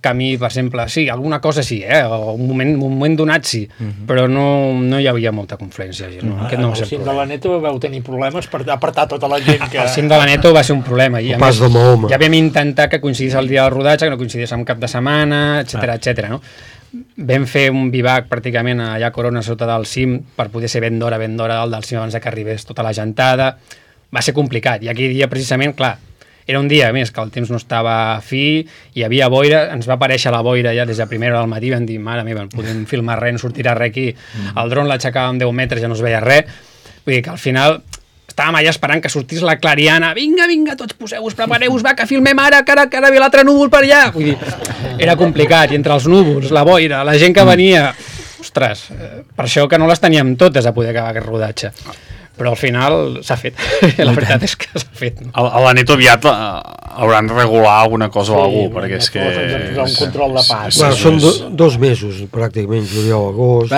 camí, per exemple, sí, alguna cosa sí, un moment donat sí, però no hi havia molta confluència.
Al cim de l'Aneto vau tenir problemes per apartar tota la gent que...
Al cim de l'Aneto va ser un problema. Ja vam intentar que coincidís el dia del rodatge, que no coincidís amb cap de setmana, etc. No? Vam fer un bivac pràcticament allà a Corona sota del cim per poder ser ben d'hora dalt del cim abans que arribés tota la gentada. Va ser complicat i aquell dia precisament, clar, era un dia més que el temps no estava fi, hi havia boira, ens va aparèixer la boira ja des de primera hora del matí, vam dir, mare meva, no podem filmar res, no sortirà res aquí, el dron l'aixecàvem 10 metres, ja no es veia res, vull dir que al final estàvem allà esperant que sortís la clariana, vinga, tots poseu-vos, prepareu-vos, va, que filmem ara, que ara ve l'altre núvol per allà, vull dir, era complicat, i entre els núvols, la boira, la gent que venia, ostres, per això que no les teníem totes a poder acabar aquest rodatge. Però al final s'ha fet, la veritat és que s'ha fet.
A l'Aneto aviat hauran de regular alguna cosa o alguna cosa, perquè és que...
Un control de pas.
Són 2 mesos, pràcticament, juliol, agost...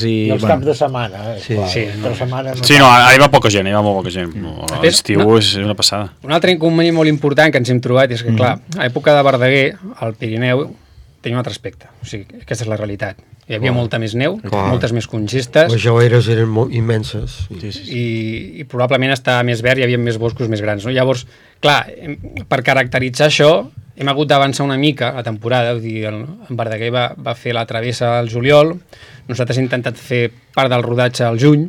I els caps de setmana.
Sí, no, ara hi va poca gent, molta gent. L'estiu és una passada.
Un altre inconvenient molt important que ens hem trobat és que, clar, a l'època de Verdaguer, al Pirineu, tenia un altre aspecte. O sigui, aquesta és la realitat. Hi havia molta més neu, moltes més congestes.
Les geleres eren immenses.
I probablement estava més verd, hi havia més boscos més grans. No? Llavors, clar, per caracteritzar això, hem hagut d'avançar una mica la temporada. Vull dir, en Verdaguer va fer la travessa al juliol, nosaltres hem intentat fer part del rodatge al juny,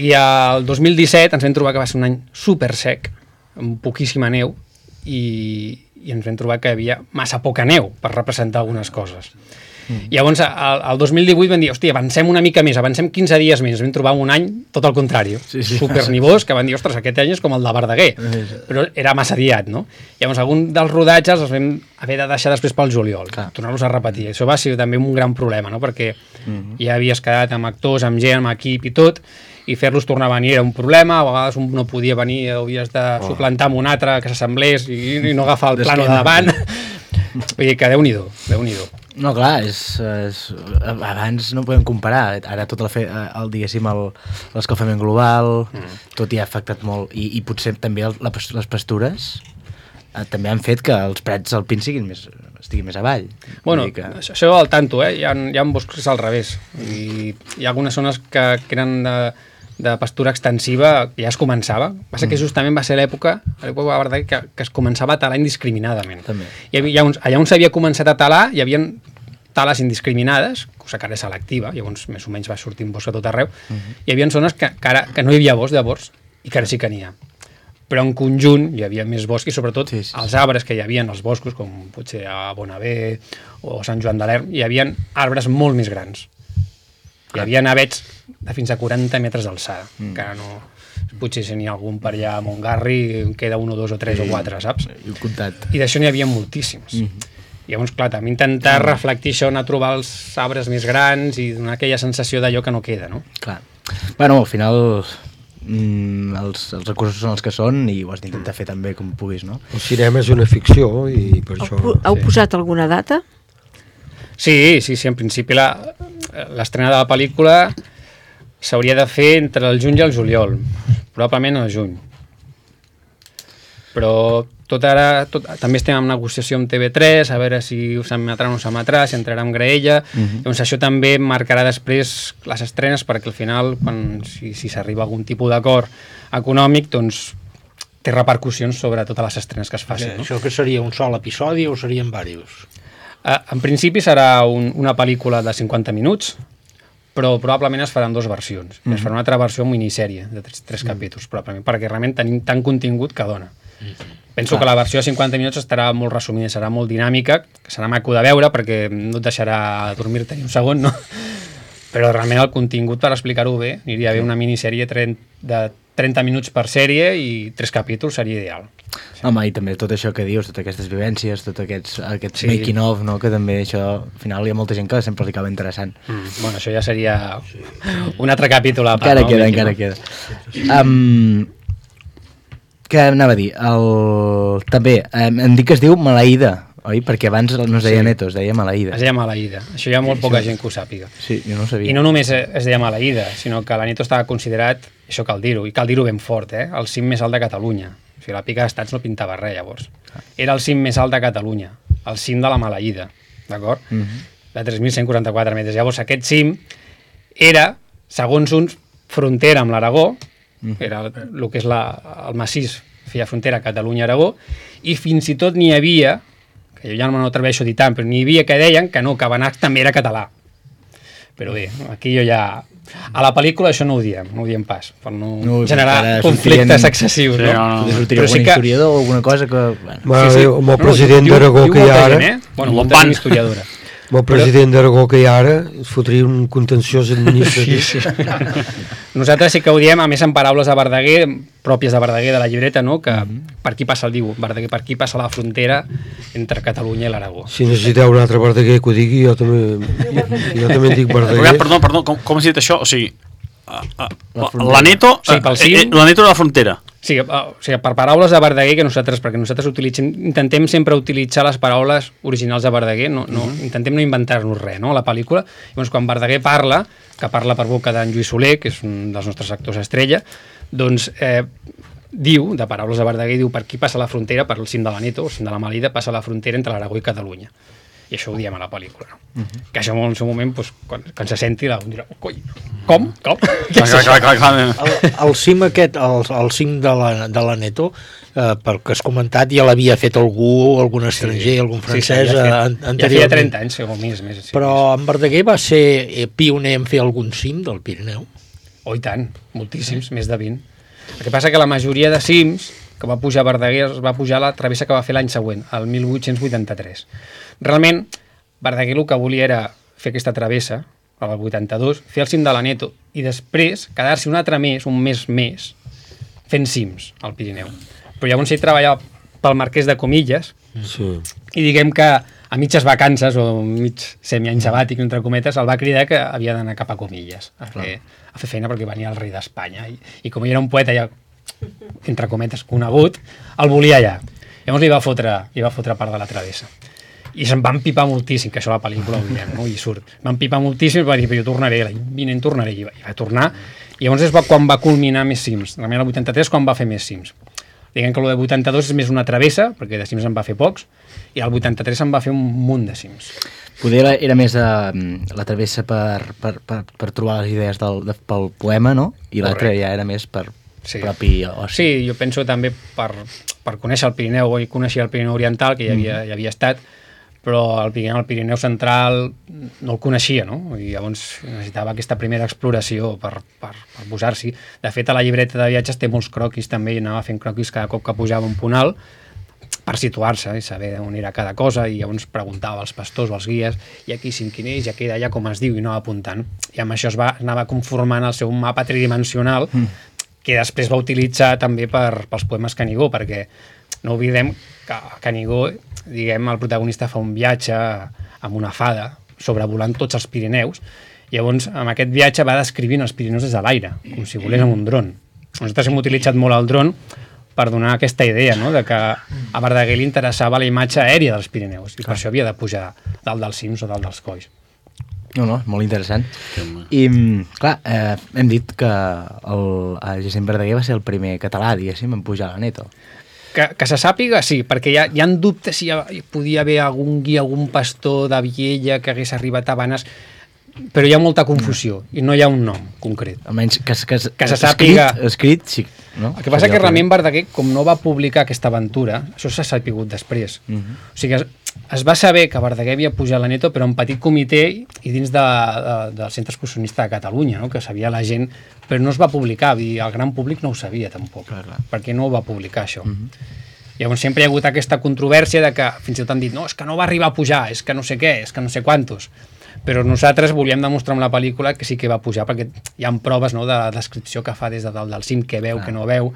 i el 2017 ens vam trobar que va ser un any super sec, amb poquíssima neu, i ens vam trobar que hi havia massa poca neu per representar algunes coses. I llavors, el 2018 vam dir, hòstia, avancem una mica més, avancem 15 dies més, vam trobar un any tot el contrari, supernivós, que van dir, ostres, aquest any és com el de Verdaguer, però era massa diat, no? Llavors, algun dels rodatges els vam haver de deixar després pel juliol, tornar-los a repetir. Això va ser també un gran problema, no? Perquè ja havies quedat amb actors, amb gent, amb equip i tot, i fer-los tornar a venir era un problema, a vegades un no podia venir, havies de suplantar amb un altre que s'assemblés i no agafar el plano de davant. Vull dir que Déu-n'hi-do.
No, clar, abans no podem comparar. Ara tot diguéssim, l'escalfament global, tot hi ha afectat molt. I potser també les pastures també han fet que els prats alpins estiguin més avall.
Bueno, això al tanto, hi ha boscos al revés. I hi ha algunes zones que eren de pastura extensiva, que ja es començava. Passa que justament va ser l'època que es començava a talar indiscriminadament. Allà on s'havia començat a talar hi havia tales indiscriminades, cosa que ara és selectiva, llavors més o menys va sortir un bosc a tot arreu, hi havia zones que no hi havia bosc llavors i que ara sí que n'hi ha. però en conjunt hi havia més bosc i sobretot els arbres que hi havia als boscos, com potser a Bonavé o Sant Joan de l'Erm, hi havia arbres molt més grans. Hi havia avets de fins a 40 metres d'alçada, que no... Potser si n'hi ha algun per allà a Montgarri, queda 1 o 2 o 3 o 4, saps? I d'això n'hi havia moltíssims. Llavors, clar, també intentar reflectir això, anar a trobar els arbres més grans i donar aquella sensació d'allò que no queda, no?
Clar. Bueno, al final els recursos són els que són i ho has d'intentar fer també com puguis, no?
El cinema és una ficció i per això...
Heu posat alguna data?
Sí, en principi l'estrena de la pel·lícula s'hauria de fer entre el juny i el juliol, probablement al juny. Però també estem en negociació amb TV3, a veure si s'emetrà o no s'emetrà, si entrarà en graella. Doncs això també marcarà després les estrenes, perquè al final, si s'arriba a algun tipus d'acord econòmic, doncs té repercussions sobre totes les estrenes que es facin.
Això que seria un sol episodi o serien diversos?
En principi serà una pel·lícula de 50 minuts, però probablement es faran 2 versions. Es farà una altra versió amb minissèrie de 3 capítols, probablement, perquè realment tenim tant contingut que dona. Penso que la versió de 50 minuts estarà molt resumida, serà molt dinàmica, que serà maco de veure perquè no et deixarà dormir-te ni un segon, no? Però realment el contingut, per explicar-ho bé, aniria bé una minissèrie de 30 minuts per sèrie i 3 capítols seria ideal.
Home, i també tot això que dius, totes aquestes vivències, tot aquests making of, no? Que també això, al final hi ha molta gent que sempre li acaba interessant.
Bueno, això ja seria un altre capítol a part.
Encara queda. Què anava a dir? També, em dic que es diu Maleïda, oi? Perquè abans no es deia Neto, es deia Maleïda.
Es deia Maleïda. Això hi ha molt poca gent que ho sàpiga.
Sí, jo no ho sabia.
I no només es deia Maleïda, sinó que la Neto estava considerat, això cal dir-ho, i cal dir-ho ben fort, el cim més alt de Catalunya. O sigui, la Pica d'Estats no pintava res, llavors. Era el cim més alt de Catalunya, el cim de la Maleïda, d'acord? De 3.144 metres. Llavors, aquest cim era, segons uns, frontera amb l'Aragó, era el que és el massís, feia frontera a Catalunya-Aragó, i fins i tot n'hi havia, que jo ja no m'atreveixo a dir tant, però n'hi havia que deien que no, que Benasc també era català. Però bé, aquí jo ja... A la pel·lícula això no ho diem pas, per no generar conflictes excessius.
Sí, no. Sortiria algun historiador o alguna cosa que...
Amb el president d'Aragó que hi ha ara...
Bueno, molta historiadora.
Amb el president d'Aragó que hi ha ara, es fotria un contenciós administratiu.
Sí. Nosaltres sí que ho diem, a més en paraules de Verdaguer, pròpies de Verdaguer, de la llibreta, no? Que per aquí passa el diu, Verdaguer, per aquí passa la frontera entre Catalunya i l'Aragó.
Si necessiteu un altre Verdaguer que ho digui, jo també en dic Verdaguer.
Perdó, com has dit això? O sigui, la Neto,
la
Neto de la frontera.
Sí, o sigui, per paraules de Verdaguer, perquè nosaltres intentem sempre utilitzar les paraules originals de Verdaguer, intentem no inventar-nos res, no?, a la pel·lícula. Llavors, quan Verdaguer parla, que parla per boca d'en Lluís Soler, que és un dels nostres actors estrella, doncs diu, de paraules de Verdaguer, diu per aquí passa la frontera, per el cim de la Neto, el cim de la Maleïda, passa la frontera entre l'Aragó i Catalunya. I això ho diem a la pel·lícula. No? Que això en el seu moment, doncs, quan se senti, la dirà, coi, com?
El cim aquest, el cim de la Neto, pel que has comentat, ja l'havia fet algun estranger, algun francès anteriorment.
Ja feia 30 anys, o més.
Però en Verdaguer va ser pioner en fer algun cim del Pirineu?
Oh, i tant, moltíssims, més de 20. El que passa que la majoria de cims que va pujar Verdaguer es va pujar a la travessa que va fer l'any següent, el 1883. Realment, Verdaguer el que volia era fer aquesta travessa, el 82, fer el cim de la Neto, i després quedar-se un altre mes, un mes més, fent cims al Pirineu. Però llavors ell treballava pel Marquès de Comillas, i diguem que a mitges vacances, o mig semi-any sabàtic, entre cometes, el va cridar que havia d'anar cap a Comillas, a fer feina perquè venia el rei d'Espanya, i com ell era un poeta ja, entre cometes, conegut, el volia allà. Llavors li va fotre part de la travessa. I se'n van pipar moltíssim, que això a la pel·lícula ho direm, no? I surt. Van pipar moltíssim i va dir, jo tornaré, l'any vinent tornaré, i va tornar. I llavors és quan va culminar més cims. Realment el 83 quan va fer més cims. Diguem que el de 82 és més una travessa, perquè de cims en va fer pocs, i el 83 en va fer un munt de cims.
Poder era més la travessa per trobar les idees pel poema, no? I l'altre ja era més per propi oci.
Sí, jo penso també per conèixer el Pirineu, i conèixer el Pirineu Oriental, que ja havia estat, però el Pirineu Central no el coneixia, no? I llavors necessitava aquesta primera exploració per posar-s'hi. De fet, a la llibreta de viatges té molts croquis també, i anava fent croquis cada cop que pujava un punt alt per situar-se i saber on era cada cosa, i llavors preguntava als pastors o als guies, i aquí quin és, i aquí d'allà com es diu, i anava apuntant. I amb això anava conformant el seu mapa tridimensional, que després va utilitzar també pels poemes Canigó, perquè no oblidem que Canigó, diguem, el protagonista fa un viatge amb una fada sobrevolant tots els Pirineus, i llavors amb aquest viatge va descrivint els Pirineus des de l'aire, com si volés amb un dron. Nosaltres hem utilitzat molt el dron per donar aquesta idea, no?, de que a Verdaguer li interessava la imatge aèria dels Pirineus, i per això havia de pujar dalt dels cims o dalt dels colls.
No, molt interessant. I, clar, hem dit que el Jacint Verdaguer va ser el primer català, diguéssim, en pujar a l'Aneto.
Que se sàpiga, sí, perquè hi ha dubtes si hi podia haver algun guia, algun pastor de Viella que hagués arribat a Banes, però hi ha molta confusió i no hi ha un nom concret.
Almenys que
se sàpiga...
Escrit, sí. No?
El que passa que realment Verdaguer, com no va publicar aquesta aventura, això s'ha sapigut després. O sigui, es va saber que Verdaguer havia pujat a l'Aneto, però en petit comitè i dins del Centre Excursionista de Catalunya, no?, que sabia la gent, però no es va publicar, i el gran públic no ho sabia tampoc, perquè no ho va publicar això. Llavors sempre hi ha hagut aquesta controvèrsia de que fins i tot han dit, no, és que no va arribar a pujar, és que no sé què, és que no sé quantos. Però nosaltres volíem demostrar amb la pel·lícula que sí que va pujar, perquè hi ha proves, no?, de la descripció que fa des de dalt del cim, que veu, que no veu,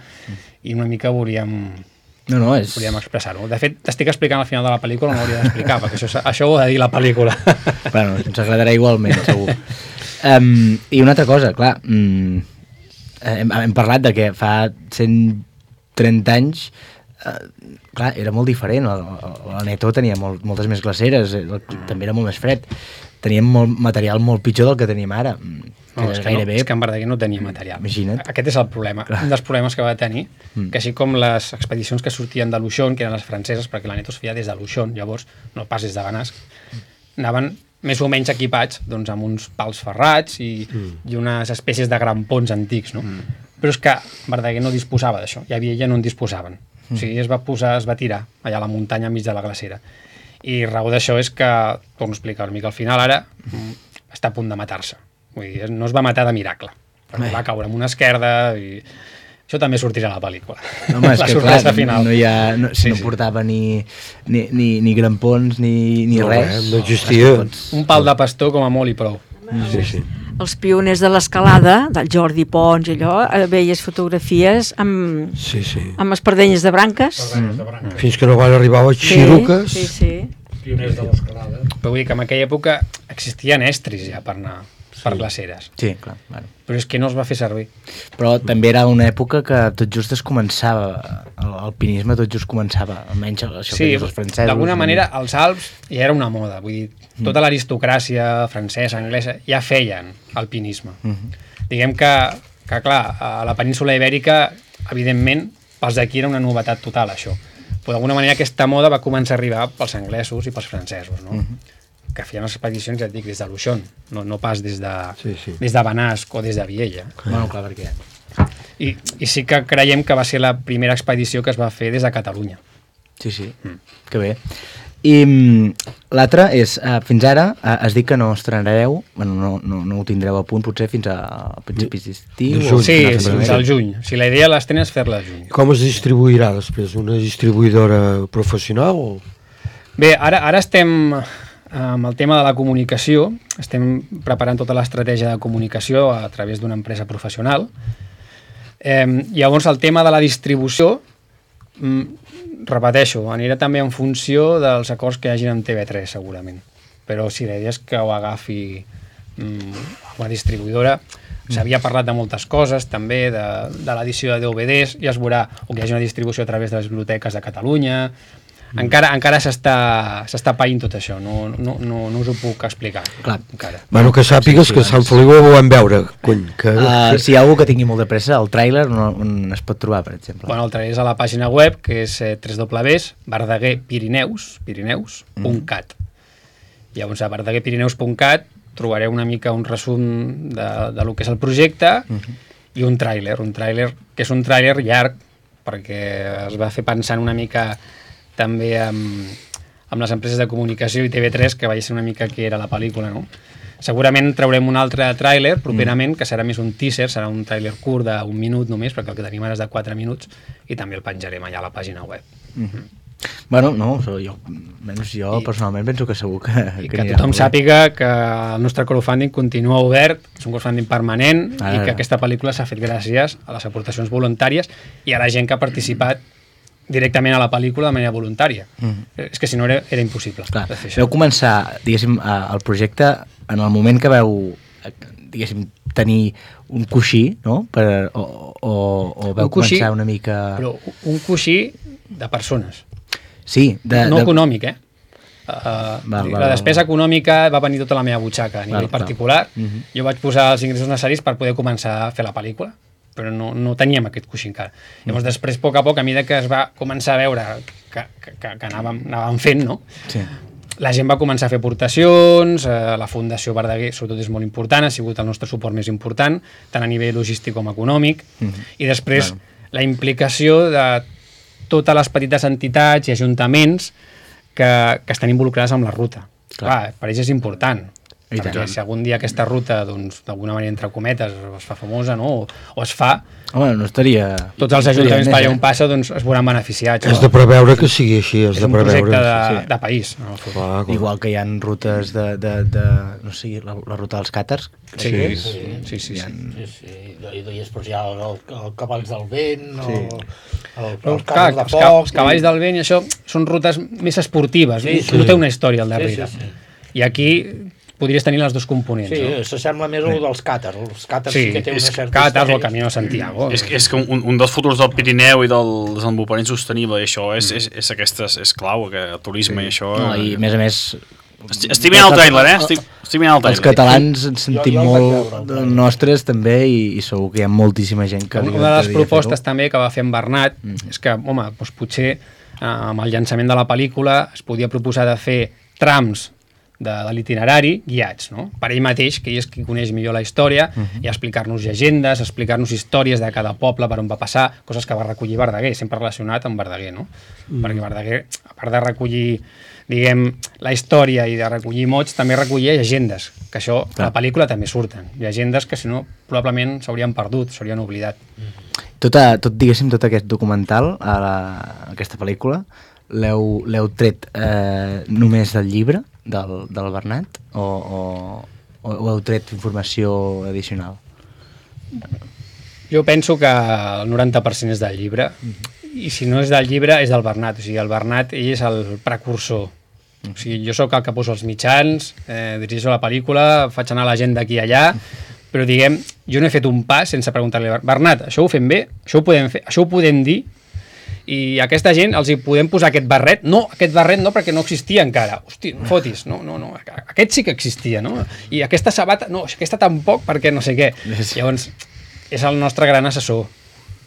i una mica volíem expressar-ho. De fet, t'estic explicant al final de la pel·lícula, no hauria d'explicar, perquè això ho ha de dir la pel·lícula.
Bueno, ens agradarà igualment, segur. I una altra cosa, clar, hem parlat de que fa 130 anys clar, era molt diferent. L'Aneto tenia moltes més glaceres, també era molt més fred. Teníem material molt pitjor del que tenim ara.
És que en Verdaguer no tenia material.
Imagina't.
Aquest és el problema. Un dels problemes que va tenir, que així com les expedicions que sortien de Luchon, que eren les franceses, perquè l'Aneto es feia des de Luchon, llavors, no pas des de Benasc, anaven més o menys equipats amb uns pals ferrats i unes espècies de grampons antics, no? Però és que Verdaguer no disposava d'això, i a Viella no en disposaven. O sigui, es va tirar allà a la muntanya enmig de la glacera. I raó d'això és que, torno a explicar una mica, al final ara està a punt de matar-se. Vull dir, no es va matar de miracle, perquè va caure amb una esquerda i això també sortirà a la pel·lícula.
Home, és que clar, no portava ni grampons ni res.
No existia.
Un pal de pastor com a molt i prou.
Sí.
Els pioners de l'escalada, del Jordi Pons i allò, veies fotografies amb espardenyes de branques.
Fins que no van arribar a xiruques.
Sí.
Pioners de l'escalada. Però vull dir que en aquella època existien estris ja per anar per glaceres.
Sí, clar. Bueno.
Però és que no es va fer servir.
Però també era una època que tot just es començava, l'alpinisme tot just començava, almenys això que dius els francesos.
D'alguna manera els Alps ja era una moda, vull dir, tota l'aristocràcia francesa, anglesa, ja feien alpinisme. Diguem que clar, a la península Ibèrica, evidentment, pels d'aquí era una novetat total, això. Però d'alguna manera aquesta moda va començar a arribar pels anglesos i pels francesos, no? Que feien les expedicions, ja et dic, des de Luchon, no pas des de Benasc o des de Viella.
Bueno, clar, perquè...
I sí que creiem que va ser la primera expedició que es va fer des de Catalunya.
Sí, que bé. I l'altre és, fins ara, has dit que no estrenareu, bueno, no ho tindreu a punt, potser fins a principis d'estiu?
Sí, fins al juny. Si la idea l'estrena és fer-la al juny.
Com es distribuirà després? Una distribuïdora professional?
Bé, ara estem... amb el tema de la comunicació, estem preparant tota l'estratègia de comunicació a través d'una empresa professional. Llavors, el tema de la distribució, repeteixo, anirà també en funció dels acords que hi hagin amb TV3, segurament. Però sí, la idea és que ho agafi una distribuïdora. S'havia parlat de moltes coses, també, de l'edició de DVDs, ja es veurà, o que hi hagi una distribució a través de les biblioteques de Catalunya. Encara s'està païnt tot això, no us ho puc explicar.
Clar.
Bueno, que sàpigues que a Sant Feliu ho vam veure.
Si hi ha algú que tingui molt de pressa, el tràiler on es pot trobar, per exemple?
Bueno, el tràiler és a la pàgina web, que és www.verdaguerpirineus.cat. Llavors, a verdaguerpirineus.cat trobareu una mica un resum de lo que és el projecte i un tràiler, que és un tràiler llarg, perquè es va fer pensant una mica també amb les empreses de comunicació i TV3, que veiés una mica què era la pel·lícula, no? Segurament traurem un altre tràiler properament, que serà més un teaser, serà un tràiler curt d'un minut només, perquè el que tenim ara és de 4 minuts, i també el penjarem allà a la pàgina web.
Bueno, no, menys jo personalment penso que segur
que tothom sàpiga que el nostre crowdfunding continua obert, és un crowdfunding permanent, i que aquesta pel·lícula s'ha fet gràcies a les aportacions voluntàries i a la gent que ha participat directament a la pel·lícula de manera voluntària. És que si no era impossible.
Clar, vau començar, diguéssim, el projecte en el moment que vau, diguéssim, tenir un coixí, no? O vau començar una mica...
Però un coixí de persones.
Sí.
No econòmic, la despesa econòmica va venir tota la meva butxaca a nivell particular. Jo vaig posar els ingressos necessaris per poder començar a fer la pel·lícula, però no teníem aquest coixí encara. Llavors, després, a poc a poc, a mesura que es va començar a veure que anàvem fent, no? Sí. La gent va començar a fer aportacions, la Fundació Verdaguer, sobretot, és molt important, ha sigut el nostre suport més important, tant a nivell logístic com econòmic, i després la implicació de totes les petites entitats i ajuntaments que estan involucrades amb la ruta. Clar, per ells és important, perquè si algun dia aquesta ruta, d'alguna manera, entre cometes, es fa famosa, no? O es fa...
Home, no estaria...
Tots els ajuntaments per allà on passa es veuran beneficiats.
És de preveure que sigui així, és
un projecte de país.
Igual que hi ha rutes no sé, la ruta dels càters.
Sí.
I després hi ha el Cavalls del Vent,
els Cavalls del Vent, i això són rutes més esportives, no té una història al darrere. I aquí podries tenir les dos components.
Sí, s'assembla més al dels càters. Els càters sí que té una certa
càters o el Camí de Santiago.
És que un dels futurs del Pirineu i del desenvolupament sostenible, i això és clau, el turisme i això...
I a més...
Estic mirant el tràiler, Estic mirant el tràiler.
Els catalans ens sentim molt nostres també i segur que hi ha moltíssima gent que...
Una de les propostes també que va fer en Bernat és que, home, potser amb el llançament de la pel·lícula es podia proposar de fer trams de l'itinerari guiats, no? Per ell mateix, que ell és qui coneix millor la història, i explicar-nos llegendes, explicar-nos històries de cada poble, per on va passar, coses que va recollir Verdaguer, sempre relacionat amb Verdaguer, no? Perquè Verdaguer, a part de recollir, diguem, la història i de recollir mots, també recollia llegendes, que això a la pel·lícula també surten, llegendes que si no probablement s'haurien perdut, s'haurien oblidat.
Diguéssim, tot aquest documental, aquesta pel·lícula, l'heu tret només del llibre del Bernat o heu tret informació addicional?
Jo penso que el 90% és del llibre, i si no és del llibre és del Bernat. O sigui, el Bernat, ell és el precursor. O sigui, jo sóc el que poso els mitjans, dirigeixo la pel·lícula, faig anar la gent d'aquí i allà, però diguem, jo no he fet un pas sense preguntar-li a Bernat, això ho fem bé? Això ho podem fer? Això ho podem dir? I a aquesta gent els hi podem posar aquest barret? No, aquest barret no, perquè no existia encara. Hosti, no fotis, no, aquest sí que existia, no? I aquesta sabata, no, aquesta tampoc, perquè no sé què. Llavors, és el nostre gran assessor.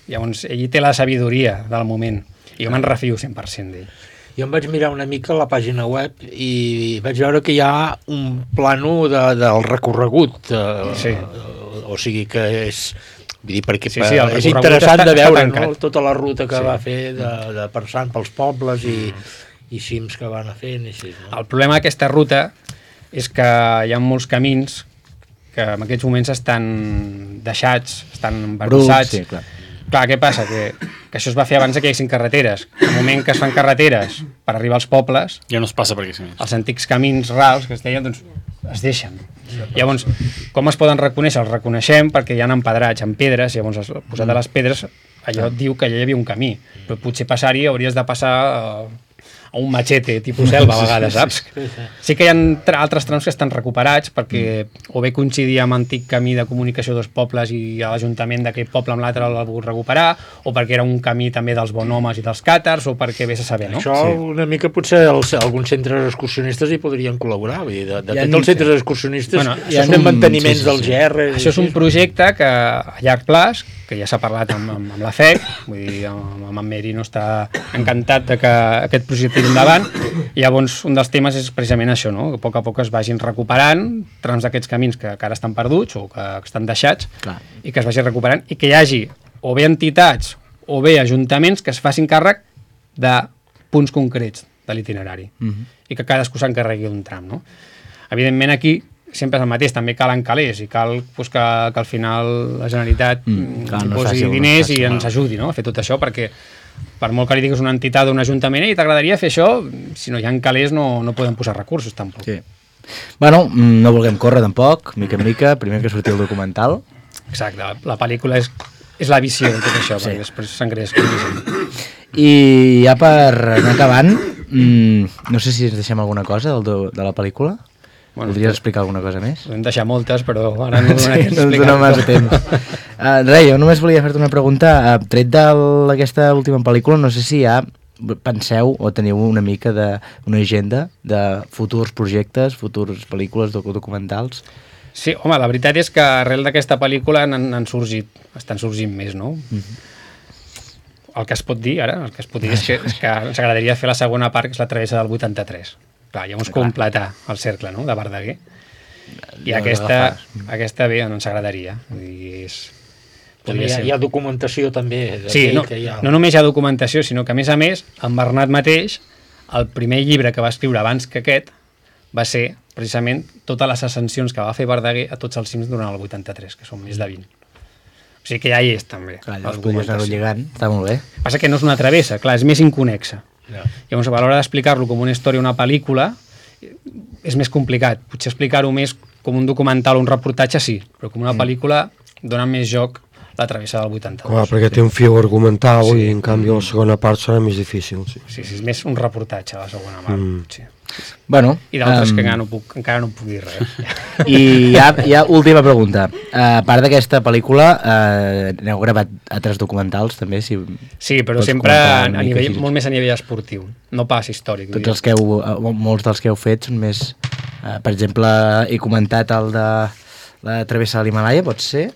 Llavors, ell té la sabidoria del moment. I jo me'n refio 100% d'ell.
Jo em vaig mirar una mica la pàgina web i vaig veure que hi ha un plano del recorregut. O sigui que és... Vull dir, perquè és interessant de veure tota la ruta que va fer de passant pels pobles i cims que van fent.
El problema d'aquesta ruta és que hi ha molts camins que en aquests moments estan deixats, estan embarbussats. Clar, què passa? Que això es va fer abans que hi haguessin carreteres. En el moment que es fan carreteres per arribar als pobles,
ja no es passa per aquí.
Els antics camins rals que es deien, doncs es deixen. Llavors, com es poden reconèixer? Els reconeixem perquè hi ha empedrats en pedres, llavors posat a les pedres allò diu que allà hi havia un camí, però potser passar-hi hauries de passar a un machete tipus selva a vegades, saps? Sí que hi ha altres trams que estan recuperats perquè o bé coincidia amb antic camí de comunicació dels pobles i l'Ajuntament d'aquest poble amb l'altre l'ha volgut recuperar, o perquè era un camí també dels bonhomes i dels càters, o perquè vés a saber, no?
Això una mica potser alguns centres excursionistes hi podrien col·laborar, vull dir, de tots els centres excursionistes són de manteniments del GR.
Això és un projecte que a llarg plaç, que ja s'ha parlat amb la FEC, vull dir, amb en Merino està encantat que aquest projecte tiri endavant, i llavors un dels temes és precisament això, no? Que a poc es vagin recuperant trams d'aquests camins que ara estan perduts o que estan deixats, i que es vagi recuperant, i que hi hagi o bé entitats o bé ajuntaments que es facin càrrec de punts concrets de l'itinerari, i que cadascú s'encarregui d'un tram, no? Evidentment aquí sempre és el mateix, també calen calés i cal pues, que al final la Generalitat posi diners i ens ajudi, no? A fer tot això, perquè per molt que li diguis una entitat o un ajuntament i t'agradaria fer això, si no hi ha calés no podem posar recursos tampoc.
Sí. Bueno, no vulguem córrer tampoc, mica en mica, primer que surti el documental.
Exacte, la pel·lícula és la visió de tot això, perquè després s'engreix.
I ja per anar acabant, no sé si ens deixem alguna cosa de la pel·lícula. Voldries explicar alguna cosa més?
Podem deixar moltes, però ara no donar temps
d'explicar. No massa temps. Res, jo només volia fer-te una pregunta. Tret d'aquesta última pel·lícula, no sé si ja penseu o teniu una mica d'una agenda de futurs projectes, futures pel·lícules, documentals.
Sí, home, la veritat és que arrel d'aquesta pel·lícula estan sorgint més, no? El que es pot dir ara, és que ens agradaria fer la segona part, que és la travessa del 83. Clar, llavors completar el cercle, no?, de Verdaguer. I aquesta bé, ens agradaria.
Hi ha documentació també.
Sí, no només hi ha documentació, sinó que a més, en Bernat mateix, el primer llibre que va escriure abans que aquest va ser precisament totes les ascensions que va fer Verdaguer a tots els cims durant el 83, que són més de 20. O sigui que ja hi és també.
Clar, llavors podries anar-ho lligant, està molt bé.
Passa que no és una travessa, clar, és més inconexa. Llavors, a l'hora d'explicar-lo com una història o una pel·lícula és més complicat. Potser explicar-ho més com un documental o un reportatge, sí, però com una pel·lícula dona més joc la travessa del 82.
Clar, perquè té un fil argumental i en canvi la segona part serà més difícil.
Sí, és més un reportatge la segona part, potser.
Bueno,
i d'altres que encara no puc dir res.
I ja última pregunta. A part d'aquesta pel·lícula, n'heu gravat altres documentals també?
Sí, però sempre molt més a nivell esportiu, no pas històric.
Molts dels que heu fet són més... Per exemple, he comentat el de la travessa de l'Himalaya, pot ser?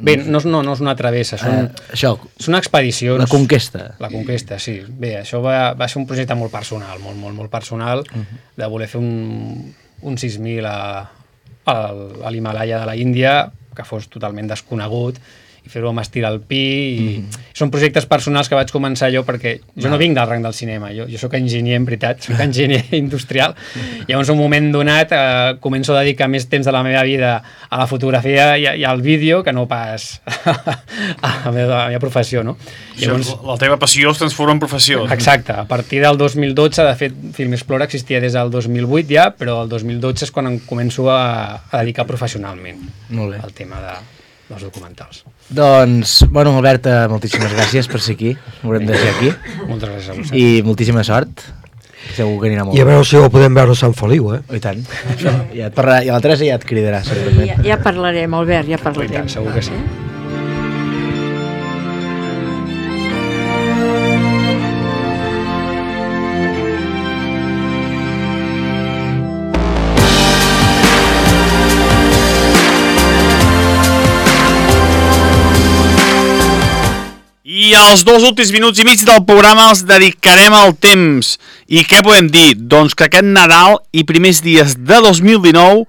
Bé, no és una travessa, són expedicions.
La conquesta.
La conquesta, sí. Bé, això va ser un projecte molt personal, molt personal, de voler fer un 6.000 a l'Himalaya de la Índia, que fos totalment desconegut, i fer-ho amb estil alpí. Són projectes personals que vaig començar jo perquè jo no vinc del rang del cinema, jo soc enginyer en veritat, soc enginyer industrial. Llavors, en un moment donat, començo a dedicar més temps de la meva vida a la fotografia i al vídeo que no pas a la meva professió, no?
Llavors, la teva passió es transforma en professió.
Exacte. A partir del 2012, de fet, Film Explora existia des del 2008 ja, però el 2012 és quan em començo a dedicar professionalment al tema dels documentals.
Doncs, bueno, Albert, moltíssimes gràcies per ser aquí. Ho haurem de ser aquí.
Moltes gràcies a vosaltres.
I moltíssima sort. Segur que anirà molt bé.
I a veure si ho podem veure a Sant Feliu,
I tant. I la Teresa ja et cridarà, segurament.
Ja parlarem, Albert, ja parlarem.
Segur que sí.
I els 2 últims minuts i mig del programa els dedicarem al temps. I què podem dir? Doncs que aquest Nadal i primers dies de 2019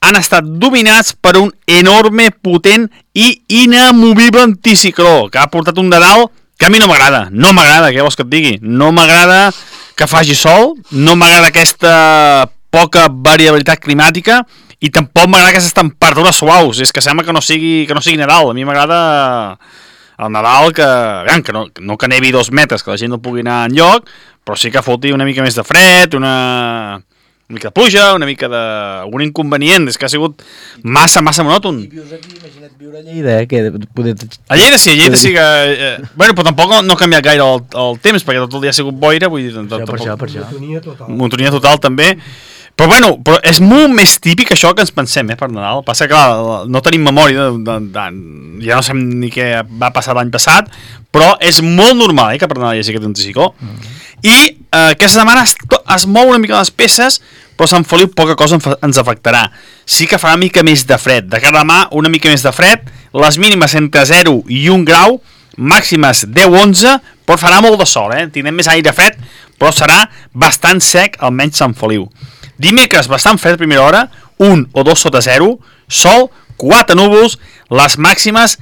han estat dominats per un enorme, potent i inamovible anticicló que ha portat un Nadal que a mi no m'agrada. No m'agrada, què vols que et digui? No m'agrada que faci sol, no m'agrada aquesta poca variabilitat climàtica i tampoc m'agrada aquestes temperatures suaus. És que sembla que no sigui Nadal. A mi m'agrada... el Nadal que no que nevi 2 metres, que la gent no pugui anar enlloc, però sí que foti una mica més de fred, una mica de pluja, una mica d'algun inconvenient. És que ha sigut massa monòton.
I vius aquí, imagina't viure a Lleida, que...
A Lleida sí que... Bueno, però tampoc no ha canviat gaire el temps, perquè tot el dia ha sigut boira, vull dir...
Per això.
Monotonia total, també. Però bueno, és molt més típic això que ens pensem, per Nadal. Passa que no tenim memòria, ja no sabem ni què va passar l'any passat, però és molt normal que per Nadal hi hagi aquest anticicló. I aquesta setmana es mou una mica les peces, però Sant Feliu poca cosa ens afectarà. Sí que farà una mica més de fred. De cara a demà, una mica més de fred, les mínimes entre 0 i 1 grau, màximes 10-11, però farà molt de sol, tindrem més aire fred, però serà bastant sec, almenys Sant Feliu. Dimecres, bastant fred a primera hora, 1 o 2 sota 0, sol, 4 núvols, les màximes